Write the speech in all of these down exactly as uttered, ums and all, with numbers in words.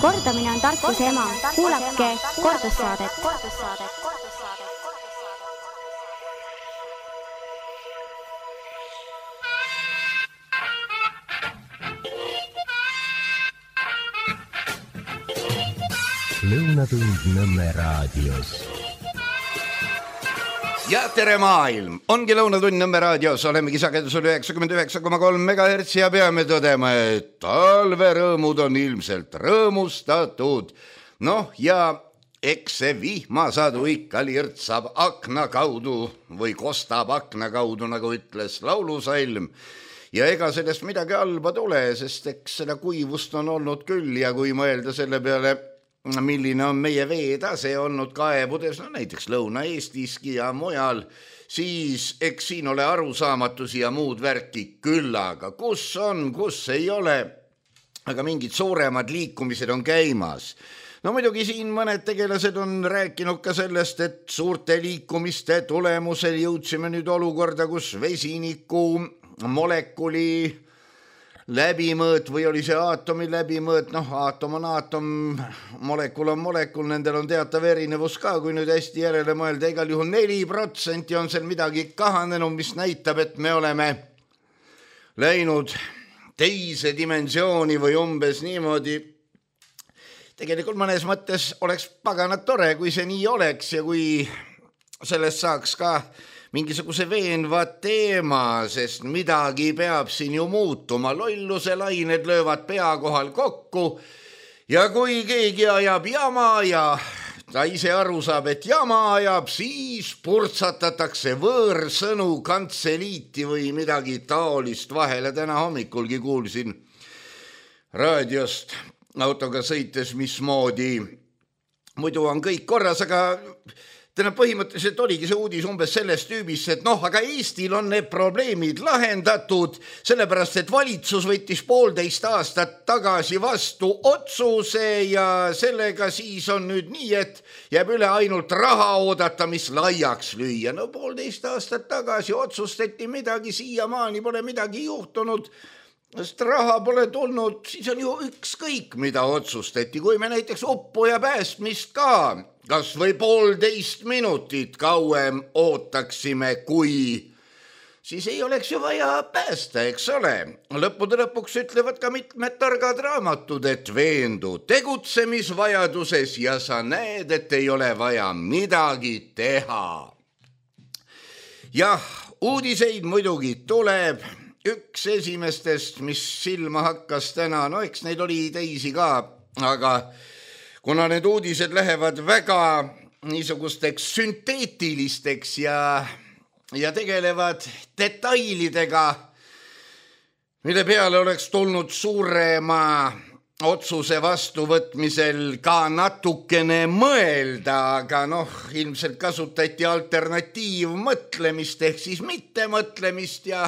Kordamine on tarkuse ema. Kuulake kordussaadet. Lõunatund Nõmme raadios. Ja tere maailm! Ongi Lõunatund Nõmme raadios, olemegi sagedusel üheksakümmend üheksa koma kolm megahertsi ja peame tõdema, et talverõõmud on ilmselt rõõmustatud. Noh, ja eks see vihmasadu ikka lirtsab akna kaudu või kostab akna kaudu, nagu ütles laulusalm. Ja ega sellest midagi halba tule, sest eks seda kuivust on olnud küll ja kui mõelda selle peale, milline on meie veetase olnud kaevudes, no näiteks Lõuna-Eestiski ja mujal, siis eks siin ole arusaamatusi ja muud värki küllaga. Kus on, kus ei ole, aga mingid suuremad liikumised on käimas. No muidugi siin mõned tegelased on rääkinud ka sellest, et suurte liikumiste tulemusel jõudsime nüüd olukorda, kus vesiniku molekuli läbimõõt või oli see aatomi läbimõõt, noh aatom on aatom, molekul on molekul, nendel on teatav erinevus ka, kui nüüd hästi järele mõelda, igal juhul neli protsenti on seal midagi kahanenud, mis näitab, et me oleme läinud teise dimensiooni või umbes niimoodi. Tegelikult mõnes mõttes oleks paganat tore, kui see nii oleks ja kui sellest saaks ka mingisuguse veenva teema, sest midagi peab siin ju muutuma. Lolluse lained löövad pea kohal kokku ja kui keegi ajab jama ja ta ise aru saab, et jama ajab, siis purtsatatakse võõrsõnu kantseliiti või midagi taolist vahele. Täna hommikulgi kuulsin raadiost autoga sõites, mismoodi muidu on kõik korras, aga täna põhimõtteliselt oligi see uudis umbes sellest tüübist, et noh, aga Eestil on need probleemid lahendatud, sellepärast, et valitsus võttis poolteist aastat tagasi vastu otsuse ja sellega siis on nüüd nii, et jääb üle ainult raha oodata, mis laiaks lüüa. No poolteist aastat tagasi otsustati midagi, siiamaani pole midagi juhtunud, sest raha pole tulnud, siis on ju ükskõik, mida otsustati, kui me näiteks uppuja päästmist ka kas või poolteist minutit kauem ootaksime, kui siis ei oleks ju vaja päästa, eks ole. Lõppude lõpuks ütlevad ka mitmed targad raamatud, et veendu tegutsemisvajaduses ja sa näed, et ei ole vaja midagi teha. Jah, uudiseid muidugi tuleb. Üks esimestest, mis silma hakkas täna, no eks neid oli teisi ka, aga kuna need uudised lähevad väga niisugusteks sünteetilisteks ja, ja tegelevad detailidega, mille peale oleks tulnud suurema otsuse vastuvõtmisel ka natukene mõelda, aga noh, ilmselt kasutati alternatiivmõtlemist ehk siis mittemõtlemist ja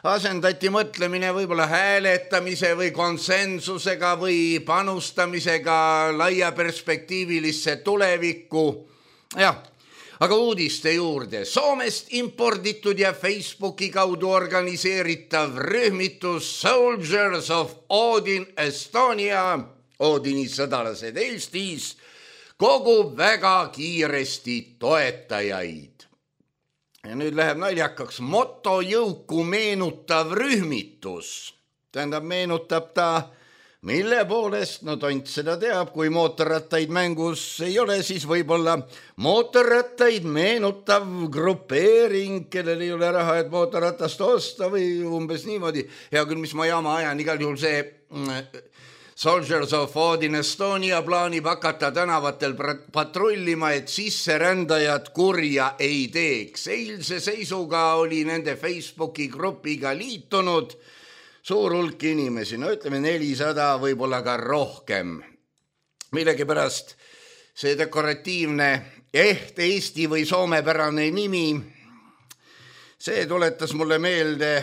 asendati mõtlemine võib-olla hääletamise või konsensusega või panustamisega laia perspektiivilisse tulevikku. Jah, aga uudiste juurde. Soomest imporditud ja Facebooki kaudu organiseeritav rühmitus Soldiers of Odin Estonia, Odini sõdalased Eestis, kogub väga kiiresti toetajaid. Ja nüüd läheb naljakaks motojõuku meenutav rühmitus. Tähendab, meenutab ta, mille poolest, no tont seda teab, kui mootorrattaid mängus ei ole, siis võib-olla mootorrattaid meenutav grupeering, kellel ei ole raha, et mootorratast osta või umbes niimoodi. Hea küll, mis ma jama ajan, igal juhul see Soldiers of Odin Estonia plaanib hakata tänavatel patrullima, et sisserändajad kurja ei teeks. Eilse seisuga oli nende Facebooki grupiga liitunud suur hulk inimesi, no ütleme nelisada, võib-olla ka rohkem. Millegipärast see dekoratiivne eht Eesti või soomepärane nimi, see tuletas mulle meelde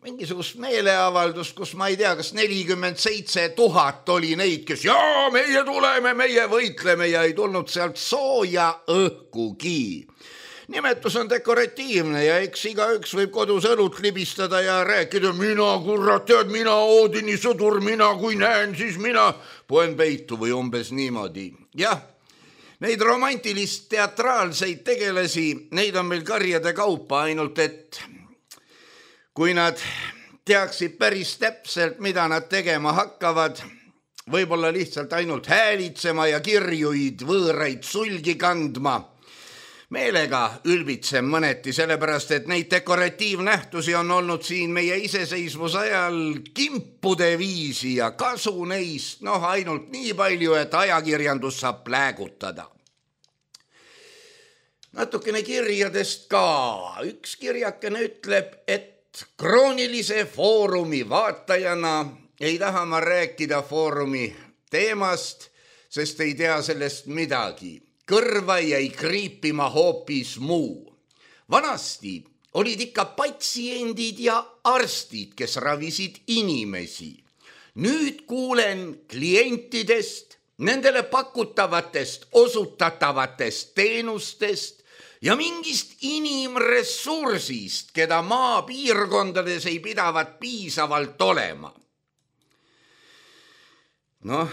mingisugust meeleavaldust, kus ma ei tea, kas nelikümmend seitse tuhat oli neid, kes jaa, meie tuleme, meie võitleme ja ei tulnud sealt sooja õhkugi. nimetus on dekoratiivne ja eks igaüks võib kodus õlut libistada ja rääkida, mina kurrat tead, mina Oodini sõdur, mina kui näen, siis mina poen peitu või umbes niimoodi. Jah, neid romantilist teatraalseid tegelasi, neid on meil karjade kaupa, ainult et kui nad teaksid päris täpselt, mida nad tegema hakkavad, võib-olla lihtsalt ainult häälitsema ja kirjuid võõraid sulgi kandma, meelega ülbitsem mõneti, sellepärast, et neid dekoratiivnähtusi on olnud siin meie iseseisvuse ajal kimpude viisi ja kasu neist, noh ainult nii palju, et ajakirjandus saab pläägutada. Natukene kirjadest ka. Üks kirjakene ütleb, et kroonilise foorumi vaatajana ei taha ma rääkida foorumi teemast, sest ei tea sellest midagi. Kõrva jäi kriipima hoopis muu. Vanasti olid ikka patsiendid ja arstid, kes ravisid inimesi. Nüüd kuulen klientidest, nendele pakutavatest, osutatavatest teenustest ja mingist inimressursist, keda maapiirkondades ei pidavat piisavalt olema. Noh,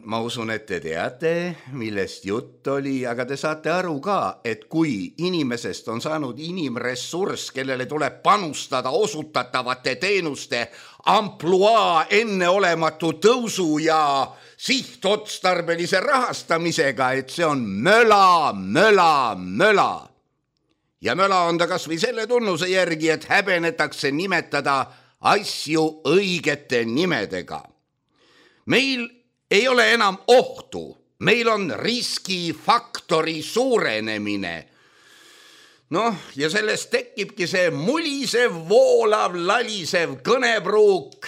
ma usun, et te teate, millest jutt oli, aga te saate aru ka, et kui inimesest on saanud inimressurss, kellele tuleb panustada osutatavate teenuste ampluaa enneolematu tõusu ja sihtotstarbelise rahastamisega, et see on möla, möla, möla. Ja möla on ta kas või selle tunnuse järgi, et häbenetakse nimetada asju õigete nimedega. Meil ei ole enam ohtu, meil on riskifaktori suurenemine. Noh, ja sellest tekibki see mulisev, voolav, lalisev kõnepruuk.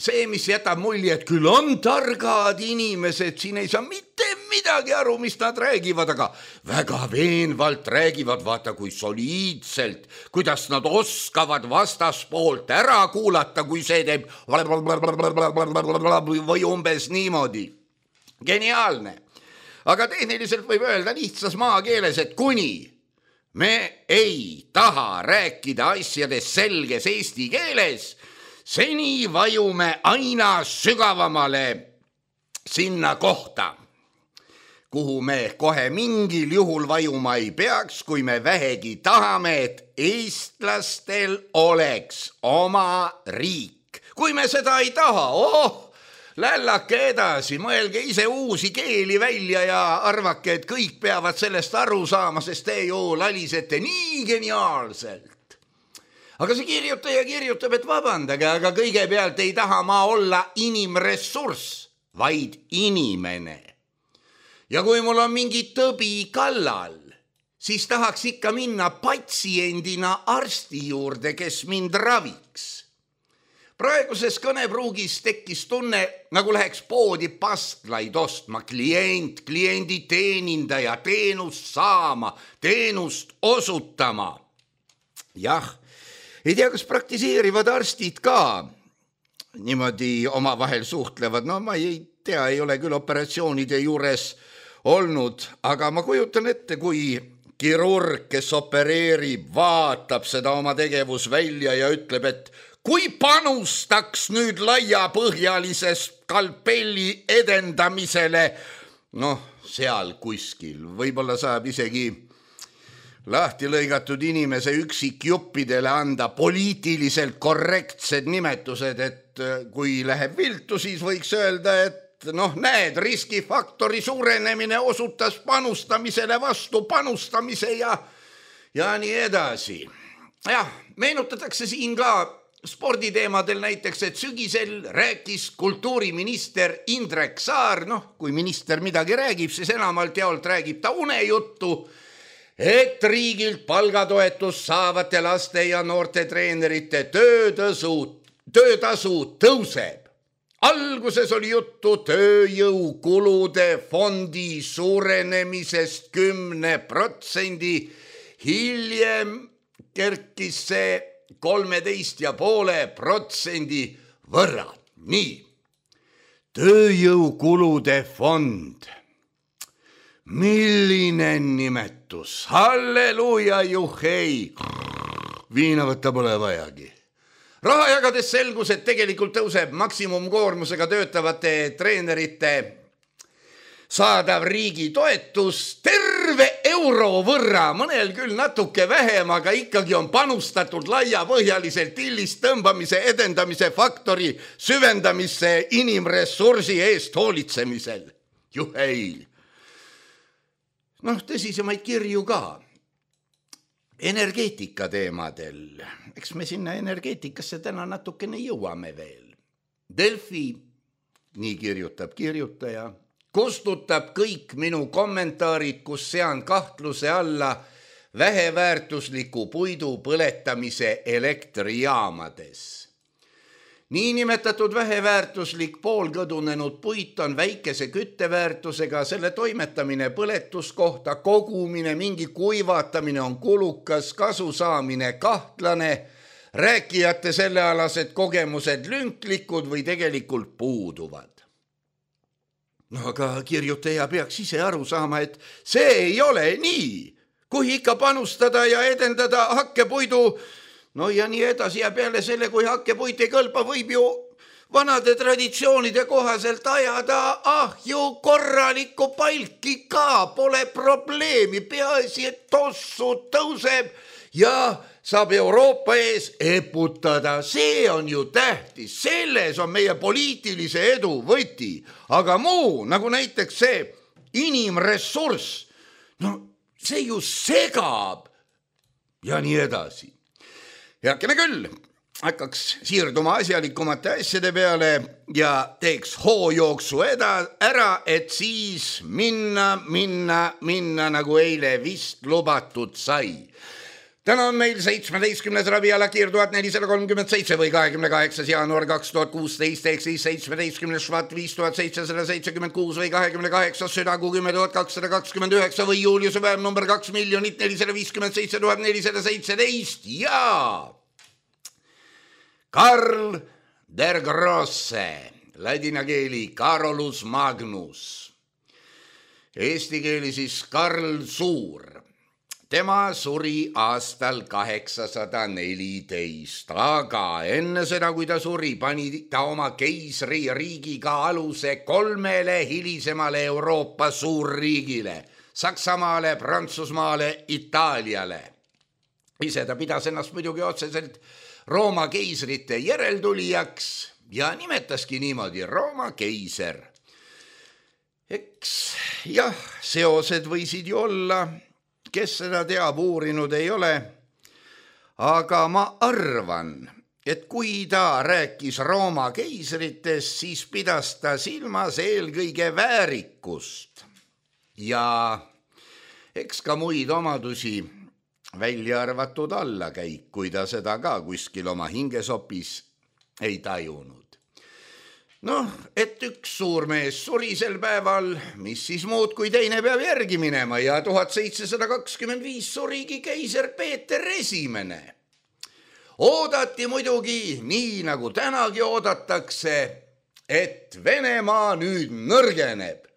See, mis jätab mulje, et küll on targad inimesed, siin ei saa mitte midagi aru, mis nad räägivad, aga väga veenvalt räägivad, vaata kui soliidselt, kuidas nad oskavad vastaspoolt ära kuulata, kui see teeb või umbes niimoodi. Geniaalne. Aga tehniliselt võib öelda lihtsas maakeeles, et kuni me ei taha rääkida asjadest selges eesti keeles, seni vajume aina sügavamale sinna kohta, kuhu me kohe mingil juhul vajuma ei peaks, kui me vähegi tahame, et eestlastel oleks oma riik. Kui me seda ei taha, oh, lällake edasi, mõelge ise uusi keeli välja ja arvake, et kõik peavad sellest aru saama, sest te ju lalisete nii geniaalselt. Aga see kirjutaja kirjutab, et vabandage, aga kõigepealt ei taha ma olla inimressurss, vaid inimene. Ja kui mul on mingi tõbi kallal, siis tahaks ikka minna patsiendina arsti juurde, kes mind raviks. Praeguses kõnepruugis tekkis tunne, nagu läheks poodi pastlaid ostma, klient, kliendi teenindaja, teenust saama, teenust osutama. Jah, ei tea, kas praktiseerivad arstid ka niimoodi omavahel suhtlevad. No ma ei tea, ei ole küll operatsioonide juures olnud, aga ma kujutan ette, kui kirurg, kes opereerib, vaatab seda oma tegevusvälja ja ütleb, et kui panustaks nüüd laiapõhjalise skalpelli edendamisele, noh, seal kuskil, võib-olla saab isegi lahti lõigatud inimese üksikjuppidele anda poliitiliselt korrektsed nimetused, et kui läheb viltu, siis võiks öelda, et noh, näed, riskifaktori suurenemine osutas panustamisele vastu panustamise ja, ja nii edasi. Jah, meenutatakse siin ka sporditeemadel näiteks, et sügisel rääkis kultuuriminister Indrek Saar, noh, kui minister midagi räägib, siis enamalt jaolt räägib ta unejuttu, et riigilt palgatoetus saavate laste ja noorte treenerite töötasu, töötasu tõuseb. Alguses oli juttu tööjõukulude fondi suurenemisest kümne protsendi, hiljem kerkis see kolmeteist ja poole protsendi võrra. Nii, tööjõukulude fond. milline nimetus, halleluuja, juhei, viina võtta pole vajagi. Raha jagades selgus, et tegelikult tõuseb maksimumkoormusega töötavate treenerite saadav riigi toetus terve euro võrra, mõnel küll natuke vähem, aga ikkagi on panustatud laiapõhjaliselt illist tõmbamise, edendamise faktori süvendamisse inimressursi eest hoolitsemisel. Juhei! Noh, tõsisemaid kirju ka. Energeetika teemadel. Eks me sinna energeetikasse täna natukene jõuame veel. Delfi, nii kirjutab kirjutaja, kustutab kõik minu kommentaarid, kus sean kahtluse alla väheväärtusliku puidu põletamise elektrijaamades. Niinimetatud väheväärtuslik poolkõdunenud puit on väikese kütteväärtusega, selle toimetamine põletuskohta, kogumine, mingi kuivatamine on kulukas, kasu saamine kahtlane, rääkijate sellealased kogemused lünklikud või tegelikult puuduvad. No aga kirjutaja peaks ise aru saama, et see ei ole nii. Kui ikka panustada ja edendada hakkepuidu, no ja nii edasi ja peale selle, kui hakkepuit ei kõlba, võib ju vanade traditsioonide kohaselt ajada ahju korralikku palki ka, pole probleemi, peaasi, et tossu tõuseb ja saab Euroopa ees eputada. See on ju tähtis, selles on meie poliitilise edu võti, aga muu, nagu näiteks see inimressurss, no see ju segab ja nii edasi. Heakene küll, hakkaks siirduma asjalikumate asjade peale ja teeks hoojooksu ära, et siis minna, minna, minna, nagu eile vist lubatud sai. Täna on meil seitsmeteistkümnes raviala kiir tuhat nelisada kolmkümmend seitse või kahekümne kaheksas jaanuar kaks tuhat kuusteist, ehk siis seitsmeteistkümnes švat viis tuhat seitsesada seitsekümmend kuus või kahekümne kaheksas südagu kümme tuhat kakssada kakskümmend üheksa või juuliuse päev number kaks miljonit nelisada viiskümmend seitse tuhat nelisada seitseteist ja Karl der Grosse, ladina keeli Carolus Magnus, eesti keeli siis Karl Suur. Tema suri aastal kaheksasada neliteist, aga enne seda, kui ta suri, pani ta oma keisri riigiga aluse kolmele hilisemale Euroopa suurriigile, Saksamaale, Prantsusmaale, Itaaliale. Ise ta pidas ennast muidugi otseselt Rooma keisrite järeltulijaks ja nimetaski niimoodi Rooma keiser. Eks jah, seosed võisid ju olla, kes seda teab, uurinud ei ole, aga ma arvan, et kui ta rääkis Rooma keisritest, siis pidas ta silmas eelkõige väärikust ja eks ka muid omadusi välja arvatud allakäik, kui ta seda ka kuskil oma hingesopis ei tajunud. Noh, et üks suurmees suri sel päeval, mis siis muud kui teine peab järgi minema ja tuhat seitsesada kakskümmend viis surigi keiser Peeter Esimene. Oodati muidugi, nii nagu tänagi oodatakse, et Venemaa nüüd nõrgeneb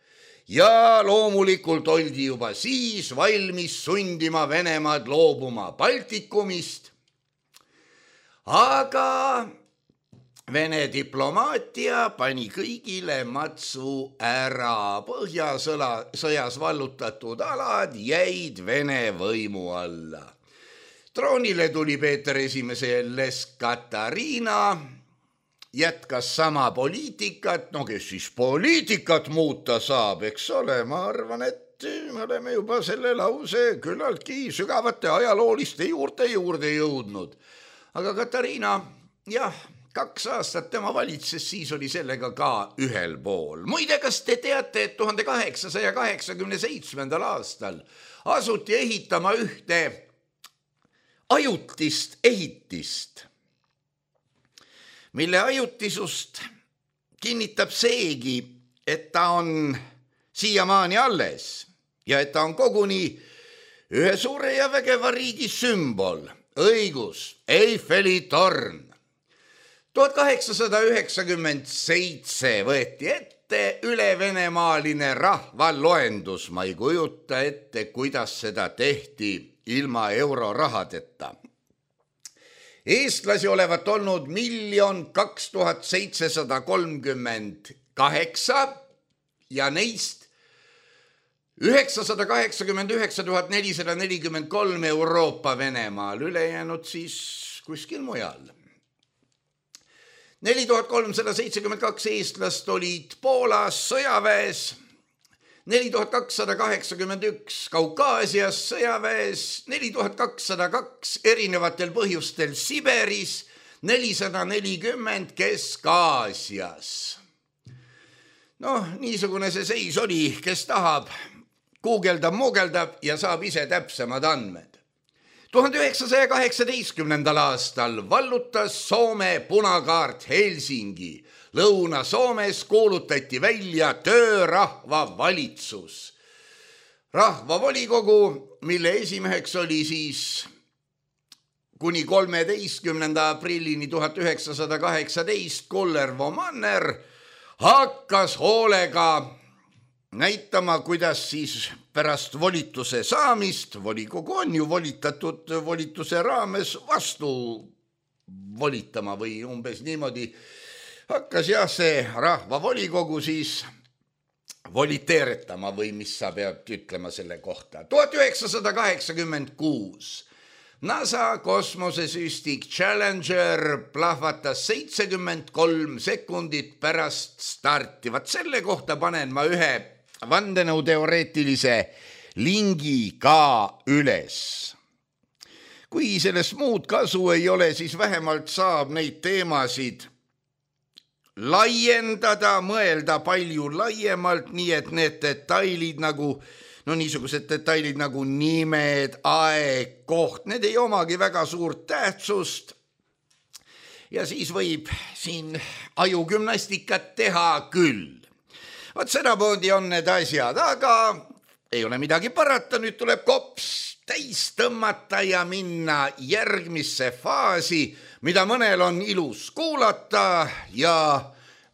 ja loomulikult oldi juba siis valmis sundima Venemaad loobuma Baltikumist, aga Vene diplomaatia pani kõigile matsu ära, Põhjasõjas vallutatud alad jäid Vene võimu alla. Troonile tuli Peeter Esimeselles Katariina, jätkas sama poliitikat, no kes siis poliitikat muuta saab, eks ole, ma arvan, et me oleme juba selle lause küllaltki sügavate ajalooliste juurde juurde jõudnud. Aga Katariina, jah, kaks aastat tema valitses, siis oli sellega ka ühel pool. Muide, kas te teate, et tuhande kaheksasaja kaheksakümne seitsmendal aastal asuti ehitama ühte ajutist ehitist, mille ajutisust kinnitab seegi, et ta on siiamaani alles ja et ta on koguni ühe suure ja vägeva riigi sümbol, õigus, Eiffeli torn. tuhat kaheksasada üheksakümmend seitse võeti ette ette ülevenemaaline rahvaloendus. Ma ei kujuta ette, kuidas seda tehti ilma eurorahadeta. Eestlasi olevat olnud miljon kaks tuhat seitsesada kolmkümmend kaheksa ja neist üheksasada kaheksakümmend üheksa tuhat nelisada nelikümmend kolm Euroopa Venemaal, ülejäänud siis kuskil mujal. neli tuhat kolmsada seitsekümmend kaks eestlast olid Poolas sõjaväes, neli tuhat kakssada kaheksakümmend üks Kaukaasias sõjaväes, neli tuhat kakssada kaks erinevatel põhjustel Siberis, nelisada nelikümmend Kesk-Aasias. Noh, niisugune see seis oli, kes tahab, guugeldab, muugeldab ja saab ise täpsemad andmed. tuhande üheksasaja kaheksateistkümnendal aastal vallutas Soome punakaart Helsingi. Lõuna-Soomes kuulutati välja töörahvavalitsus. Rahvavolikogu, mille esimeheks oli siis kuni kolmeteistkümnenda aprillini tuhat üheksasada kaheksateist Kullervo Manner, hakkas hoolega näitama, kuidas siis pärast volituse saamist, volikogu on ju volitatud volituse raames vastu volitama või umbes niimoodi, hakkas jah see rahvavolikogu siis voliteeretama või mis sa pead ütlema selle kohta. tuhat üheksasada kaheksakümmend kuus NASA kosmosesüstik Challenger plahvatas seitsekümmend kolm sekundit pärast starti. Vaat selle kohta panen ma ühe vandenõuteoreetilise lingi ka üles. Kui sellest muud kasu ei ole, siis vähemalt saab neid teemasid laiendada, mõelda palju laiemalt, nii et need detailid nagu, no niisugused detailid nagu nimed, aeg, koht, need ei omagi väga suurt tähtsust. Ja siis võib siin ajugümnastikat teha küll. Vaat sedapoodi on need asjad, aga ei ole midagi parata, nüüd tuleb kops täis tõmmata ja minna järgmisse faasi, mida mõnel on ilus kuulata ja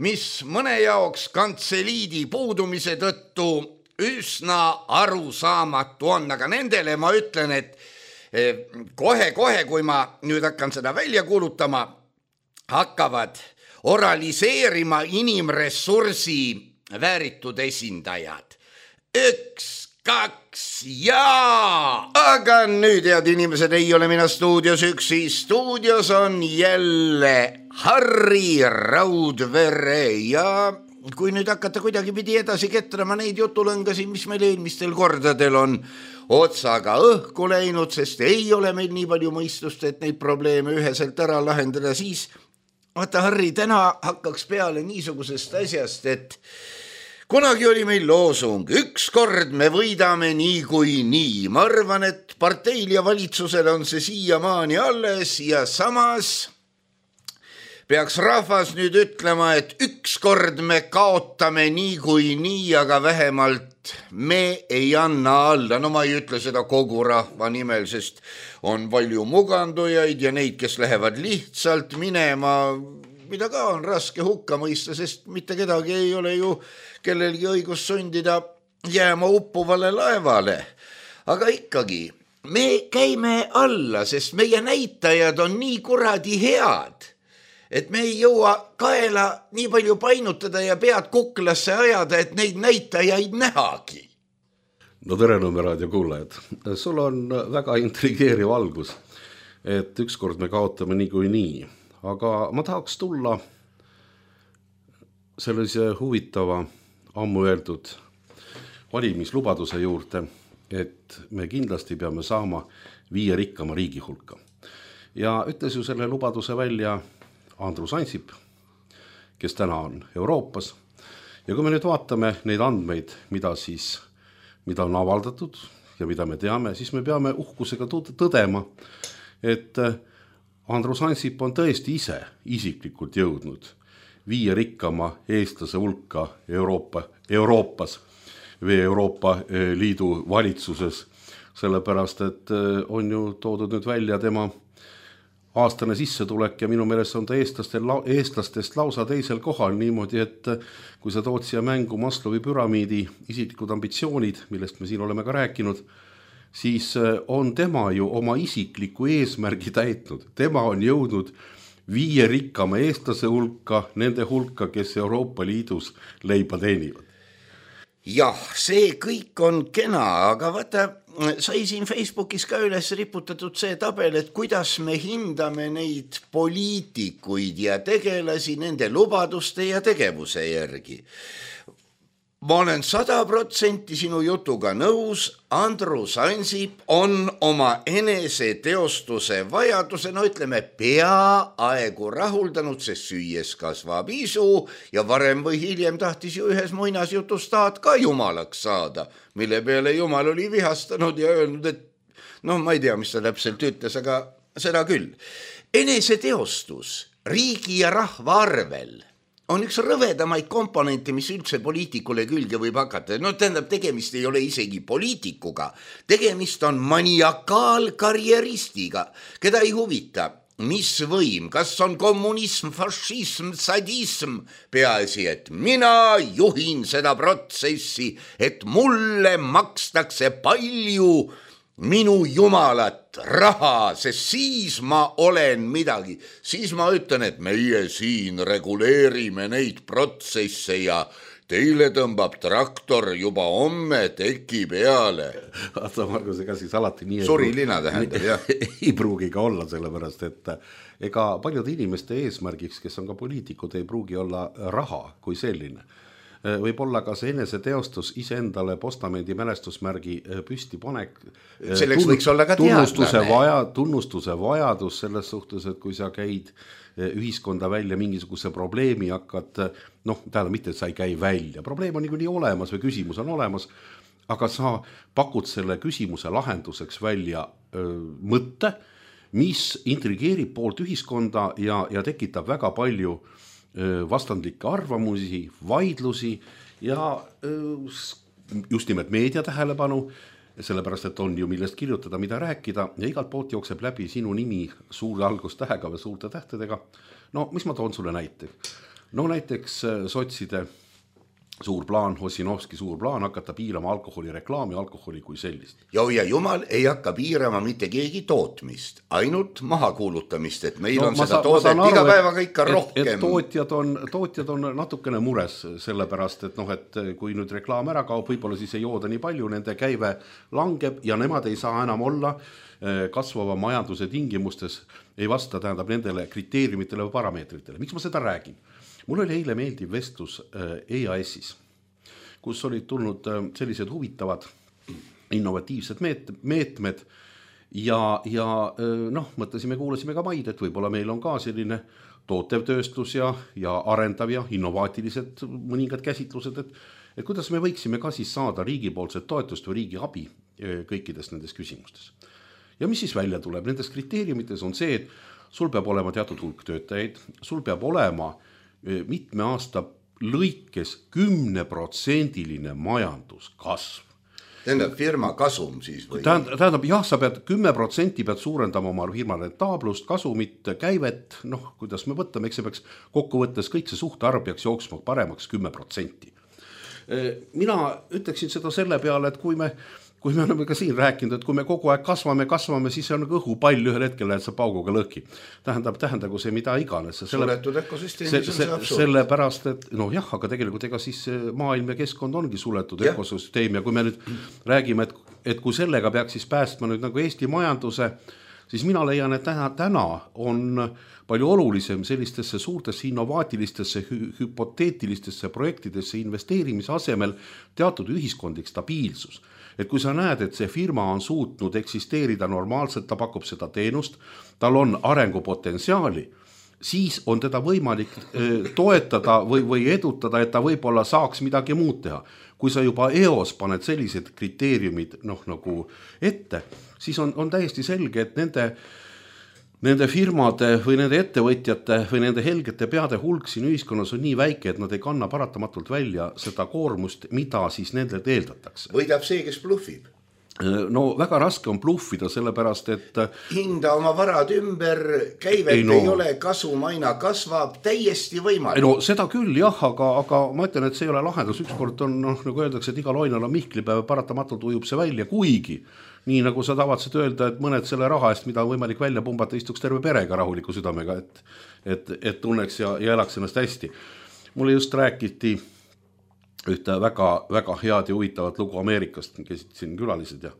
mis mõne jaoks kantseliidi puudumise tõttu üsna arusaamatu on, aga nendele ma ütlen, et kohe-kohe, kui ma nüüd hakkan seda välja kuulutama, hakkavad oraliseerima inimressursi vääritud esindajad. Üks, kaks, jaa! Aga nüüd, head inimesed, ei ole mina stuudios üksi. Stuudios on jälle Harri Raudvere ja kui nüüd hakata kuidagi pidi edasi ketrama neid jutulõngasi, mis meil eelmistel kordadel on otsaga õhku läinud, sest ei ole meil nii palju mõistust, et neid probleeme üheselt ära lahendada, siis vaata, Harri, täna hakkaks peale niisugusest asjast, et kunagi oli meil loosung, üks kord me võidame nii kui nii. Ma arvan, et parteil ja valitsusel on see siiamaani alles ja samas peaks rahvas nüüd ütlema, et üks kord me kaotame nii kui nii, aga vähemalt me ei anna alla. No ma ei ütle seda kogu rahva nimel, sest on palju mugandujaid ja neid, kes lähevad lihtsalt minema, mida ka on raske hukka mõista, sest mitte kedagi ei ole ju kellelgi õigus sundida jääma uppuvale laevale. Aga ikkagi, me käime alla, sest meie näitajad on nii kuradi head, et me ei jõua kaela nii palju painutada ja pead kuklasse ajada, et neid näitajaid nähagi. No tere, Nõmme-raadio kuulajad. Sul on väga intrigeeriv algus, et ükskord me kaotame nii kui nii. Aga ma tahaks tulla sellise huvitava ammu öeldud valimislubaduse juurde, et me kindlasti peame saama viie rikkama riigi hulka. Ja ütles ju selle lubaduse välja Andrus Ansip, kes täna on Euroopas. Ja kui me nüüd vaatame neid andmeid, mida siis, mida on avaldatud ja mida me teame, siis me peame uhkusega tõdema, et Andrus Ansip on tõesti ise isiklikult jõudnud viie rikkama eestlase hulka Euroopa, Euroopas või Euroopa Liidu valitsuses, sellepärast, et on ju toodud nüüd välja tema aastane sissetulek ja minu meelest on ta eestlastel, eestlastest lausa teisel kohal niimoodi, et kui sa tood siia mängu Maslowi püramiidi isiklikud ambitsioonid, millest me siin oleme ka rääkinud, siis on tema ju oma isikliku eesmärgi täitnud. Tema on jõudnud viie rikkama eestlase hulka, nende hulka, kes Euroopa Liidus leiba teenivad. Jah, see kõik on kena, aga vaata, sai siin Facebookis ka üles riputatud see tabel, et kuidas me hindame neid poliitikuid ja tegelasi nende lubaduste ja tegevuse järgi. Ma olen sada protsenti sinu jutuga nõus, Andrus Ansip on oma enese teostuse vajaduse, no ütleme, peaaegu rahuldanud, sest süües kasvab isu ja varem või hiljem tahtis ju ühes muinasjutus taad ka jumalaks saada, mille peale jumal oli vihastanud ja öelnud, et noh, ma ei tea, mis ta täpselt ütles, aga seda küll. Enese teostus riigi ja rahva arvel on üks rõvedamaid komponente, mis üldse poliitikule külge võib hakata. No tähendab, tegemist ei ole isegi poliitikuga. Tegemist on maniakaalkarjeristiga, keda ei huvita, mis võim, kas on kommunism, fašism, sadism. Peaasi, et mina juhin seda protsessi, et mulle makstakse palju minu jumalat raha, sest siis ma olen midagi. Siis ma ütlen, et meie siin reguleerime neid protsesse ja teile tõmbab traktor juba homme teki peale. Vaata, Margus, ega siis alati nii Surilina tähendab, jah. ei pruugi ka olla, sellepärast, et ega paljude inimeste eesmärgiks, kes on ka poliitikud, ei pruugi olla raha kui selline. Võib olla ka see enese teostus iseendale postamendi mälestusmärgi püsti panek. Selleks võiks olla ka tunnustuse, vaja, tunnustuse vajadus selles suhtes, et kui sa käid ühiskonda välja mingisuguse probleemi hakkad, noh, tähendab mitte, et sa ei käi välja. Probleem on nii olemas või küsimus on olemas, aga sa pakud selle küsimuse lahenduseks välja öö, mõtte, mis intrigeerib poolt ühiskonda ja, ja tekitab väga palju vastandlikke arvamusi, vaidlusi ja just nimelt meedia tähelepanu, sellepärast, et on ju millest kirjutada, mida rääkida ja igalt poolt jookseb läbi sinu nimi suure algustähega või suurte tähtedega. No, mis ma toon sulle näite? No näiteks sotside suur plaan, Ossinovski suur plaan hakata piirama alkoholi reklaami, alkoholi kui sellist. Jau ja jumal ei hakka piirama mitte keegi tootmist, ainult maha kuulutamist, et meil no, on seda sa, toodet iga päevaga ikka et, rohkem. Et tootjad, on, tootjad on natukene mures sellepärast, et, noh, et kui nüüd reklaam ära kaob, võib-olla siis ei jooda nii palju, nende käive langeb ja nemad ei saa enam olla kasvava majanduse tingimustes, ei vasta tähendab nendele kriteeriumitele või parameetritele. Miks ma seda räägin? Mul oli eile meeldiv vestlus E A S-is, kus olid tulnud sellised huvitavad innovatiivsed meetmed ja, ja noh, mõtlesime, kuulasime ka maid, et võib-olla meil on ka selline tootev tööstus ja, ja arendav ja innovaatilised mõningad käsitlused, et, et kuidas me võiksime ka siis saada riigipoolset toetust või riigi abi kõikides nendes küsimustes. Ja mis siis välja tuleb? Nendes kriteeriumites on see, et sul peab olema teatud hulk töötajaid, sul peab olema mitme aasta lõikes kümneprotsendiline majanduskasv. Tähendab firma kasum siis või? Tähendab, tähendab jah, sa pead kümme protsenti pead suurendama oma firma rentaablust, kasumit, käivet, noh, kuidas me võtame, eks see peaks kokkuvõttes kõik see suhtarv peaks jooksma paremaks kümme protsenti. Mina ütleksin seda selle peale, et kui me Kui me oleme ka siin rääkinud, et kui me kogu aeg kasvame, kasvame, siis on õhupall ühel hetkel lähed sa pauguga lõhki. Tähendab, tähendagu see mida iganes. Suletud ökosüsteemis on see absurd. Sellepärast, et noh jah, aga tegelikult ega siis maailm ja keskkond ongi suletud ja. ökosüsteem ja kui me nüüd räägime, et, et kui sellega peaks siis päästma nüüd nagu Eesti majanduse, siis mina leian, et täna, täna on palju olulisem sellistesse suurtesse innovaatilistesse, hü- hüpoteetilistesse projektidesse investeerimise asemel teatud ühiskondlik stabiilsus. Et kui sa näed, et see firma on suutnud eksisteerida normaalselt, ta pakub seda teenust, tal on arengupotentsiaali, siis on teda võimalik toetada või, või edutada, et ta võib-olla saaks midagi muud teha. Kui sa juba eos paned sellised kriteeriumid noh, nagu ette, siis on, on täiesti selge, et nende Nende firmade või nende ettevõtjate või nende helgete peade hulk siin ühiskonnas on nii väike, et nad ei kanna paratamatult välja seda koormust, mida siis nendelt eeldatakse. Võidab see, kes bluffib. no väga raske on bluffida, sellepärast, et hinda oma varad ümber, käivet ei, no, ei ole, kasum aina kasvab, täiesti võimalik. No seda küll jah, aga, aga ma ütlen, et see ei ole lahendus. Ükskord on, noh, nagu öeldakse, et igal oinal on mihklipäev, paratamatult ujub see välja, kuigi nii nagu sa tavatsid öelda, et mõned selle raha eest, mida on võimalik välja pumbata, istuks terve perega rahuliku südamega, et, et, et tunneks ja, ja elaks ennast hästi. Mulle just räägiti ühte väga, väga head ja huvitavat lugu Ameerikast, käisid siin külalised ja,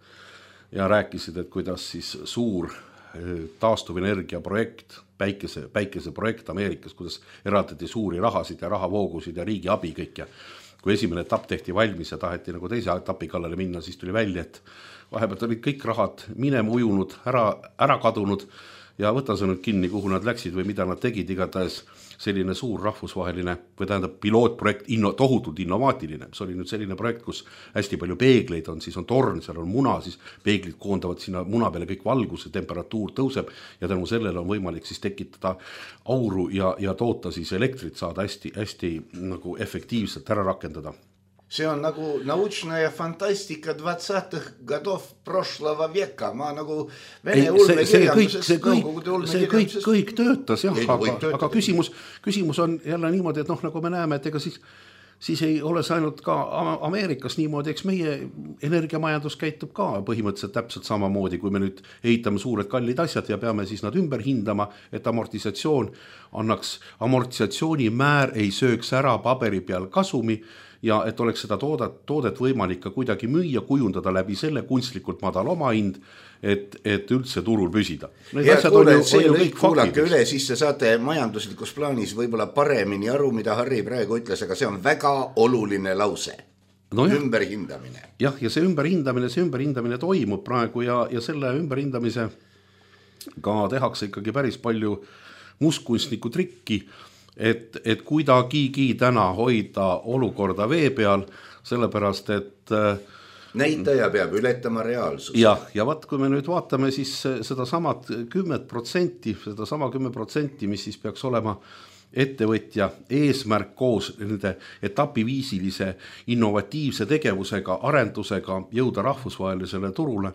ja rääkisid, et kuidas siis suur taastuvenergia projekt, päikese, päikese projekt Ameerikas, kuidas eraldati suuri rahasid ja rahavoogusid ja riigi abi kõik ja kui esimene etapp tehti valmis ja taheti nagu teise etapi kallale minna, siis tuli välja, et vahepealt olid kõik rahad minema ujunud, ära, ära kadunud ja võta sa nüüd kinni, kuhu nad läksid või mida nad tegid, igatahes selline suur rahvusvaheline või tähendab pilootprojekt, inno, tohutult innovaatiline. See oli nüüd selline projekt, kus hästi palju peegleid on, siis on torn, seal on muna, siis peeglid koondavad sinna muna peale kõik valguse, temperatuur tõuseb ja tänu sellele on võimalik siis tekitada auru ja, ja toota siis elektrit saada hästi, hästi nagu efektiivselt ära rakendada. See on nagu naучная фантастика двадцатых годов прошлого века. Ma nagu vene ulmekirjandusest, see kõik, see kõik, kõik töötas, jah, aga, aga küsimus, küsimus on jälle niimoodi, et noh, nagu me näeme, et ega siis, siis ei ole see ainult ka Ameerikas niimoodi, eks meie energiamajandus käitub ka põhimõtteliselt täpselt samamoodi, kui me nüüd ehitame suured kallid asjad ja peame siis nad ümber hindama, et amortisatsioon annaks, amortisatsiooni määr ei sööks ära paberi peal kasumi ja et oleks seda toodet, toodet võimalik ka kuidagi müüa, kujundada läbi selle kunstlikult madal oma hind, et, et üldse turul püsida. Head kuuled, see lõik kuulake üle, siis te saate majanduslikus plaanis võib-olla paremini aru, mida Harri praegu ütles, aga see on väga oluline lause. No jah, ümberhindamine. Jah, ja see ümberhindamine, see ümberhindamine toimub praegu ja, ja selle ümberhindamise ka tehakse ikkagi päris palju mustkunstniku trikki, et, et kuidagigi täna hoida olukorda vee peal, sellepärast, et näitaja peab ületama reaalsust. Ja, ja vaat, kui me nüüd vaatame siis seda samad kümmet protsenti, seda sama kümme protsenti, mis siis peaks olema ettevõtja eesmärk koos nende etapiviisilise innovatiivse tegevusega, arendusega jõuda rahvusvahelisele turule,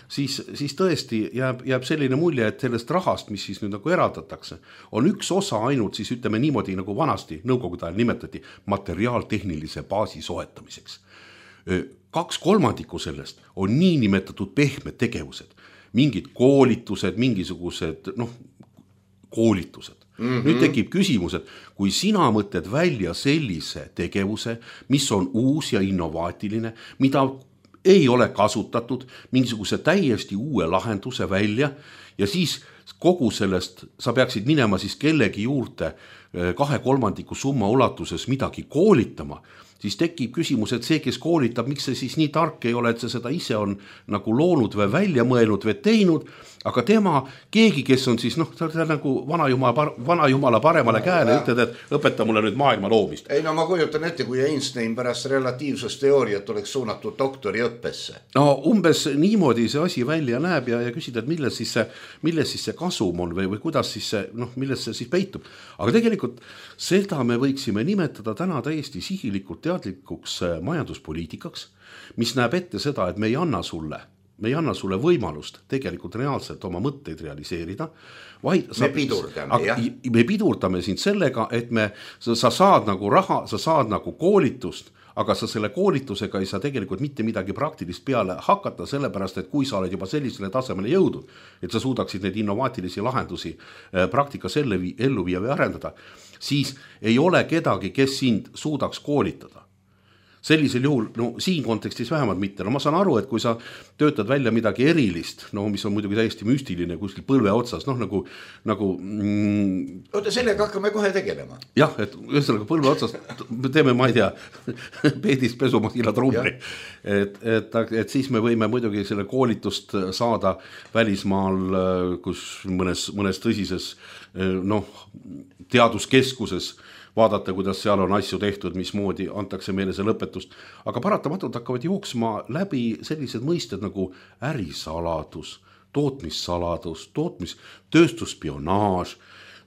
siis, siis tõesti jääb, jääb selline mulje, et sellest rahast, mis siis nüüd nagu eraldatakse, on üks osa ainult siis ütleme niimoodi, nagu vanasti nõukogude ajal nimetati materiaaltehnilise baasi soetamiseks. Kaks kolmandikku sellest on nii nimetatud pehmed tegevused, mingid koolitused, mingisugused noh, koolitused. Mm-hmm. Nüüd tekib küsimus, et kui sina mõtled välja sellise tegevuse, mis on uus ja innovaatiline, mida ei ole kasutatud, mingisuguse täiesti uue lahenduse välja ja siis kogu sellest sa peaksid minema siis kellegi juurde kahe kolmandiku summa ulatuses midagi koolitama, siis tekib küsimus, et see, kes koolitab, miks see siis nii tark ei ole, et see seda ise on nagu loonud või välja mõelnud või teinud, aga tema, keegi, kes on siis, noh, ta on nagu vana jumala, vana jumala paremale käele, ütled, et õpeta mulle nüüd maailma loomist. Ei, no ma kujutan ette, kui Einstein pärast relatiivsusteooriat oleks suunatud doktori õppesse. No umbes niimoodi see asi välja näeb ja, ja küsida, et milles siis see, milles siis see kasum on või, või kuidas siis see, noh, milles see siis peitub. Aga tegelikult seda me võiksime nimetada täna täiesti sihilikult teadlikuks majanduspoliitikaks, mis näeb ette seda, et me ei anna sulle me ei anna sulle võimalust tegelikult reaalselt oma mõtteid realiseerida, vaid me pidurdame, jah. Me pidurdame sind sellega, et me, sa, sa saad nagu raha, sa saad nagu koolitust, aga sa selle koolitusega ei saa tegelikult mitte midagi praktilist peale hakata, sellepärast, et kui sa oled juba sellisele tasemele jõudnud, et sa suudaksid neid innovaatilisi lahendusi praktikas ellu viia või arendada, siis ei ole kedagi, kes sind suudaks koolitada. Sellisel juhul, no siin kontekstis vähemalt mitte. No ma saan aru, et kui sa töötad välja midagi erilist, no mis on muidugi täiesti müstiline kuskil põlve otsas, noh nagu, nagu mm, oota, sellega hakkame kohe tegelema. Jah, et ühesõnaga põlve otsas teeme, ma ei tea, peedist pesumasina trumri. Et, et, et siis me võime muidugi selle koolitust saada välismaal, kus mõnes, mõnes tõsises noh, teaduskeskuses vaadata, kuidas seal on asju tehtud, mismoodi antakse meile see lõpetust. Aga paratamatult hakkavad jooksma läbi sellised mõisted nagu ärisaladus, tootmissaladus, tootmis, tööstusspionaaž,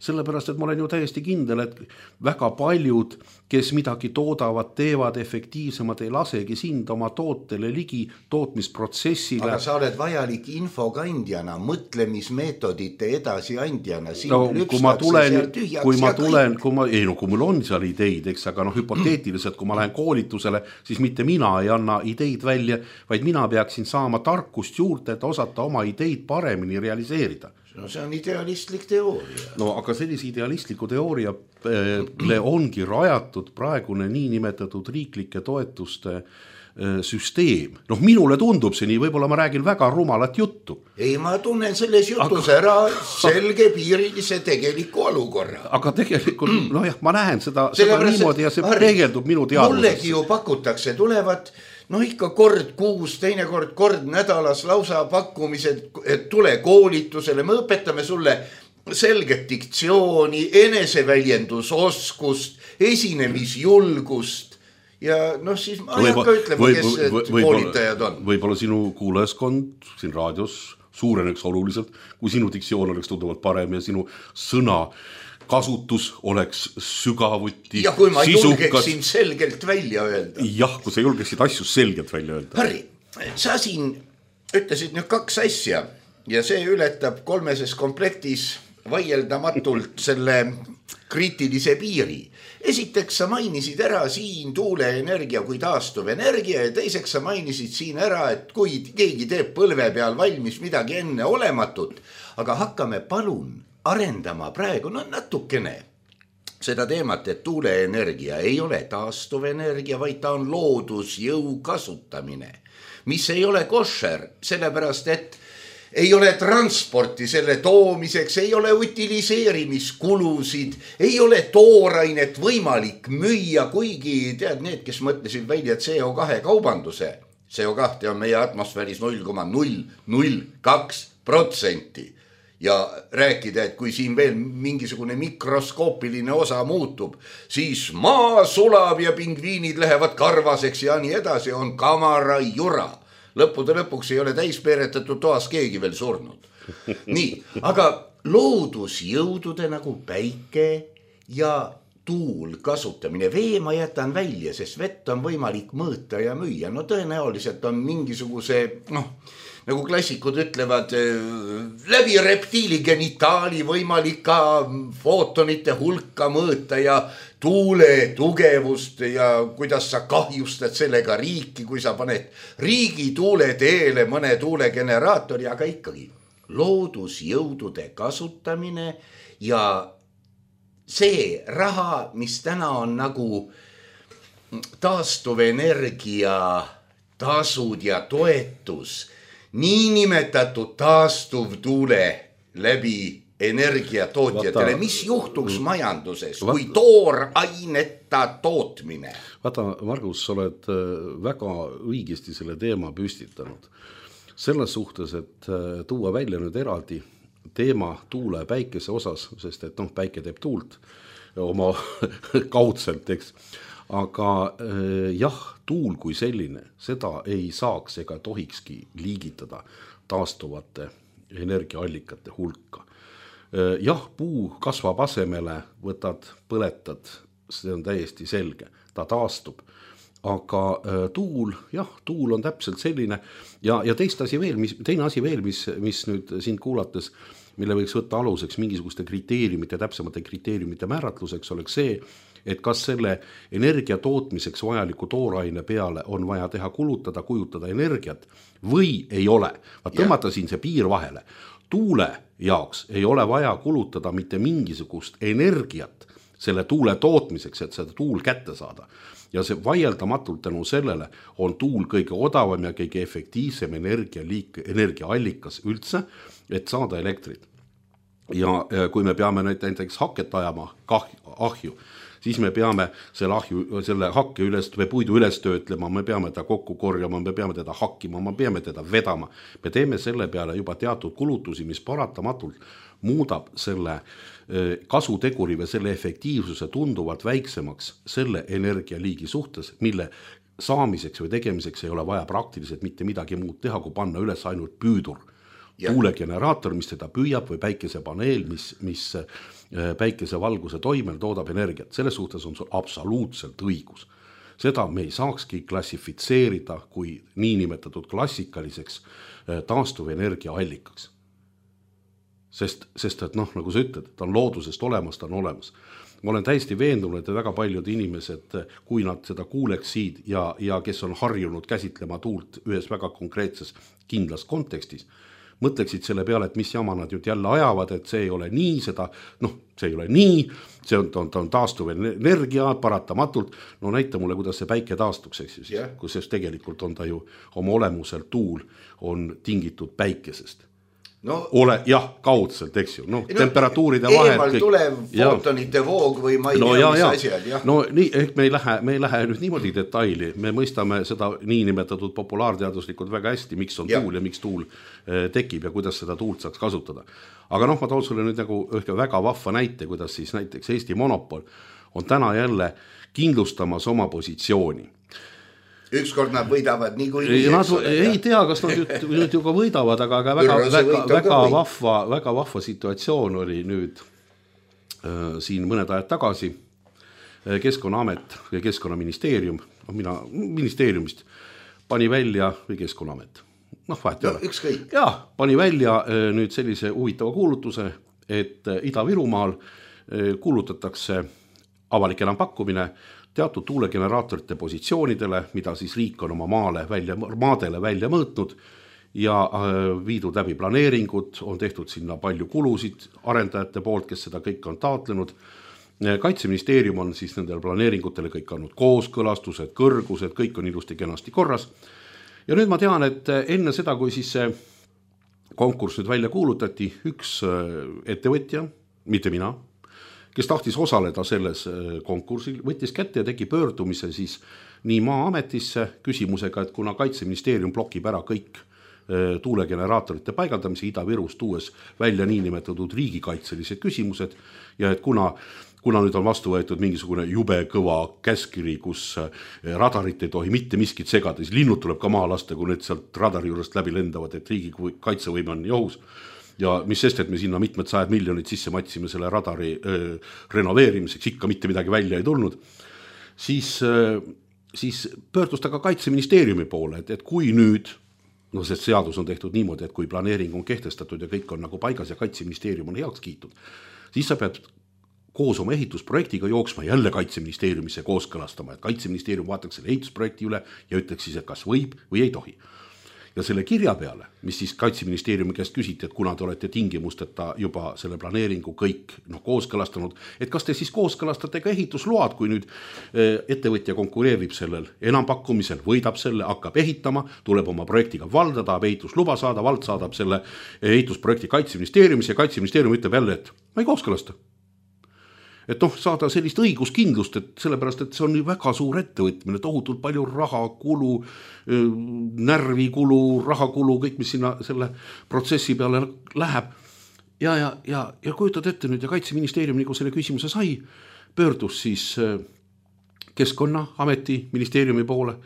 sellepärast, et ma olen ju täiesti kindel, et väga paljud, kes midagi toodavad, teevad efektiivsemad, ei lasegi sind oma tootele ligi tootmisprotsessile. Aga sa oled vajalik infokandjana, mõtlemismeetodite edasiandjana. No, kui ma tulen, kui ma tulen, kui ma, ei no kui mul on seal ideid, eks, aga noh, hüpoteetiliselt, kui ma lähen koolitusele, siis mitte mina ei anna ideid välja, vaid mina peaksin saama tarkust juurde, et osata oma ideid paremini realiseerida. No see on idealistlik teooria. No aga sellise idealistliku teooriale ongi rajatud praegune niinimetatud riiklike toetuste süsteem. Noh, minule tundub see nii, võib-olla ma räägin väga rumalat juttu. Ei, ma tunnen selles jutus aga... ära selge piirilise tegeliku olukorra. Aga tegelikult, no jah, ma näen seda, seda niimoodi ja see Harri, peegeldub minu teadvuses. Mullegi ju pakutakse, tulevad no ikka kord kuus, teine kord kord nädalas lausa pakkumised, et tule koolitusele, me õpetame sulle selget diktsiooni, eneseväljendusoskust, esinemisjulgust ja noh siis ma ei hakka ütlema, kes või, või, koolitajad on. Võib-olla sinu kuulajaskond siin raadios suureneks oluliselt, kui sinu diktsioon oleks tunduvalt parem ja sinu sõna kasutus oleks sügavuti ja kui ma julgeksin selgelt välja öelda. Jah, kui sa julgeksid asju selgelt välja öelda. Harri, sa siin ütlesid nüüd kaks asja ja see ületab kolmeses komplektis vaieldamatult selle kriitilise piiri. Esiteks sa mainisid ära siin tuuleenergia kui taastuvenergia ja teiseks sa mainisid siin ära, et kui keegi teeb põlve peal valmis midagi enne olematut, aga hakkame palun arendama praegu no natukene seda teemat, et tuuleenergia ei ole taastuvenergia, vaid ta on loodusjõu kasutamine, mis ei ole košer, sellepärast et ei ole transporti selle toomiseks, ei ole utiliseerimiskulusid, ei ole toorainet võimalik müüa, kuigi tead need, kes mõtlesid välja C O kahe kaubanduse, C O kaht on meie atmosfääris null koma null null kaks protsenti. Ja rääkida, et kui siin veel mingisugune mikroskoopiline osa muutub, siis maa sulab ja pingviinid lähevad karvaseks ja nii edasi, on kamara jura. Lõppude lõpuks ei ole täispeeretatud toas keegi veel surnud. Nii, aga loodusjõudude nagu päike ja tuul kasutamine, vee ma jätan välja, sest vett on võimalik mõõta ja müüa. No tõenäoliselt on mingisuguse, noh, nagu klassikud ütlevad, läbi reptiili genitaali võimalik ka footonite hulka mõõta ja tuule tugevust ja kuidas sa kahjustad sellega riiki, kui sa paned riigi tuule teele mõne tuulegeneraatori, aga ikkagi loodusjõudude kasutamine ja see raha, mis täna on nagu taastuvenergia tasud ja toetus, niinimetatud taastuv tuule läbi energiatootjatele, mis juhtuks majanduses, kui tooraineta tootmine? Vaata, Margus, sa oled väga õigesti selle teema püstitanud. Selles suhtes, et tuua välja nüüd eraldi teema tuule päikese osas, sest et noh, päike teeb tuult oma kaudselt, eks. Aga jah, tuul kui selline, seda ei saaks ega tohikski liigitada taastuvate energiaallikate hulka. Jah, puu kasvab asemele, võtad, põletad, see on täiesti selge, ta taastub. Aga tuul, jah, tuul on täpselt selline ja, ja teist asi veel, mis, teine asi veel, mis, mis nüüd sind kuulates, mille võiks võtta aluseks mingisuguste kriteeriumite, täpsemate kriteeriumite määratluseks, oleks see, et kas selle energia tootmiseks vajaliku tooraine peale on vaja teha kulutada, kujutada energiat või ei ole. Vaat tõmmata siin see piir vahele. Tuule jaoks ei ole vaja kulutada mitte mingisugust energiat selle tuule tootmiseks, et seda tuul kätte saada. Ja see vaieldamatult tänu sellele on tuul kõige odavam ja kõige efektiivsem energialiik, energiaallikas üldse, et saada elektrit. Ja kui me peame näiteks haket ajama ahju, siis me peame selle, ahju, selle hakke üles, või puidu üles töötlema, me peame teda kokku korjama, me peame teda hakkima, me peame teda vedama. Me teeme selle peale juba teatud kulutusi, mis paratamatult muudab selle kasuteguri või selle efektiivsuse tunduvalt väiksemaks selle energialiigi suhtes, mille saamiseks või tegemiseks ei ole vaja praktiliselt mitte midagi muud teha, kui panna üles ainult püüdur. tuulegeneraator, mis teda püüab või päikesepaneel, mis, mis päikesevalguse toimel toodab energiat. Selles suhtes on sul absoluutselt õigus. Seda me ei saakski klassifitseerida kui niinimetatud klassikaliseks taastuvenergia allikaks. Sest, sest et noh, nagu sa ütled, ta on loodusest olemas, ta on olemas. Ma olen täiesti veendunud, et väga paljud inimesed, kui nad seda kuuleksid ja, ja kes on harjunud käsitlema tuult ühes väga konkreetses kindlas kontekstis, mõtleksid selle peale, et mis jama nad nüüd jälle ajavad, et see ei ole nii, seda, noh, see ei ole nii, see on, on, on taastuv energia paratamatult, no näita mulle, kuidas see päike taastuks, eks ju, yeah. Kus tegelikult on ta ju oma olemuselt tuul on tingitud päikesest. No, ole, jah, kaudselt, eks ju, noh, no, temperatuuride vahed. Eemal tulev footonite voog või ma ei no, tea, ja, mis ja. asjad, jah. No nii, ehk me ei lähe, me ei lähe nüüd niimoodi detaili, me mõistame seda niinimetatud populaarteaduslikult väga hästi, miks on ja. tuul ja miks tuul tekib ja kuidas seda tuult saaks kasutada. Aga noh, ma toon sulle nüüd nagu ühke väga vahva näite, kuidas siis näiteks Eesti monopol on täna jälle kindlustamas oma positsiooni. Ükskord nad võidavad nii kui ei, nad, ei tea, kas nad nüüd, nüüd ju ka võidavad, aga, aga väga, väga, väga, vahva, väga vahva situatsioon oli nüüd äh, siin mõned ajad tagasi. Keskkonnaamet ja Keskkonnaministeerium, no mina ministeeriumist pani välja või Keskkonnaamet. Noh, vahet ei no, ole. Ükskõik. Ja, pani välja äh, nüüd sellise huvitava kuulutuse, et äh, Ida-Virumaal äh, kuulutatakse avalik enampakkumine teatud tuulegeneraatorite positsioonidele, mida siis riik on oma maale välja, maadele välja mõõtnud ja viidud läbi planeeringud, on tehtud sinna palju kulusid arendajate poolt, kes seda kõik on taotlenud. Kaitseministeerium on siis nendele planeeringutele kõik andnud kooskõlastused, kõrgused, kõik on ilusti kenasti korras. Ja nüüd ma tean, et enne seda, kui siis see konkurss nüüd välja kuulutati, üks ettevõtja, mitte mina, kes tahtis osaleda selles konkursil, võttis kätte ja tegi pöördumise siis nii Maa-ametisse küsimusega, et kuna Kaitseministeerium blokib ära kõik tuulegeneraatorite paigaldamise Ida-Virust tuues välja niinimetatud riigikaitselised küsimused ja et kuna, kuna nüüd on vastu võetud mingisugune jube kõva käskiri, kus radarit ei tohi mitte miskit segada, siis linnud tuleb ka maa lasta, kui need sealt radari juurest läbi lendavad, et riigi kaitsevõime on ohus. Ja mis sest, et me sinna mitmed sajad miljonid sisse matsime selle radari öö, renoveerimiseks, ikka mitte midagi välja ei tulnud, siis, öö, siis pöördus ta ka Kaitseministeeriumi poole, et, et kui nüüd, no sest seadus on tehtud niimoodi, et kui planeering on kehtestatud ja kõik on nagu paigas ja Kaitseministeerium on heaks kiitud, siis sa pead koos oma ehitusprojektiga jooksma jälle Kaitseministeeriumisse kooskõlastama, et Kaitseministeerium vaataks selle ehitusprojekti üle ja ütleks siis, et kas võib või ei tohi. Ja selle kirja peale, mis siis Kaitseministeeriumi käest küsiti, et kuna te olete tingimusteta juba selle planeeringu kõik no, kooskõlastanud, et kas te siis kooskõlastate ka ehitusload, kui nüüd ettevõtja konkureerib sellel enampakkumisel, võidab selle, hakkab ehitama, tuleb oma projektiga valda, tahab ehitusluba saada, vald saadab selle ehitusprojekti Kaitseministeeriumis ja Kaitseministeerium ütleb jälle, et ma ei kooskõlasta. Et noh, saada sellist õiguskindlust, et sellepärast, et see on väga suur ettevõtmine, tohutult palju rahakulu, närvikulu, rahakulu, kõik, mis sinna selle protsessi peale läheb. Ja, ja, ja, ja kujutad ette nüüd ja Kaitseministeerium, nagu selle küsimuse sai, pöördus siis Keskkonnaameti ministeeriumi poole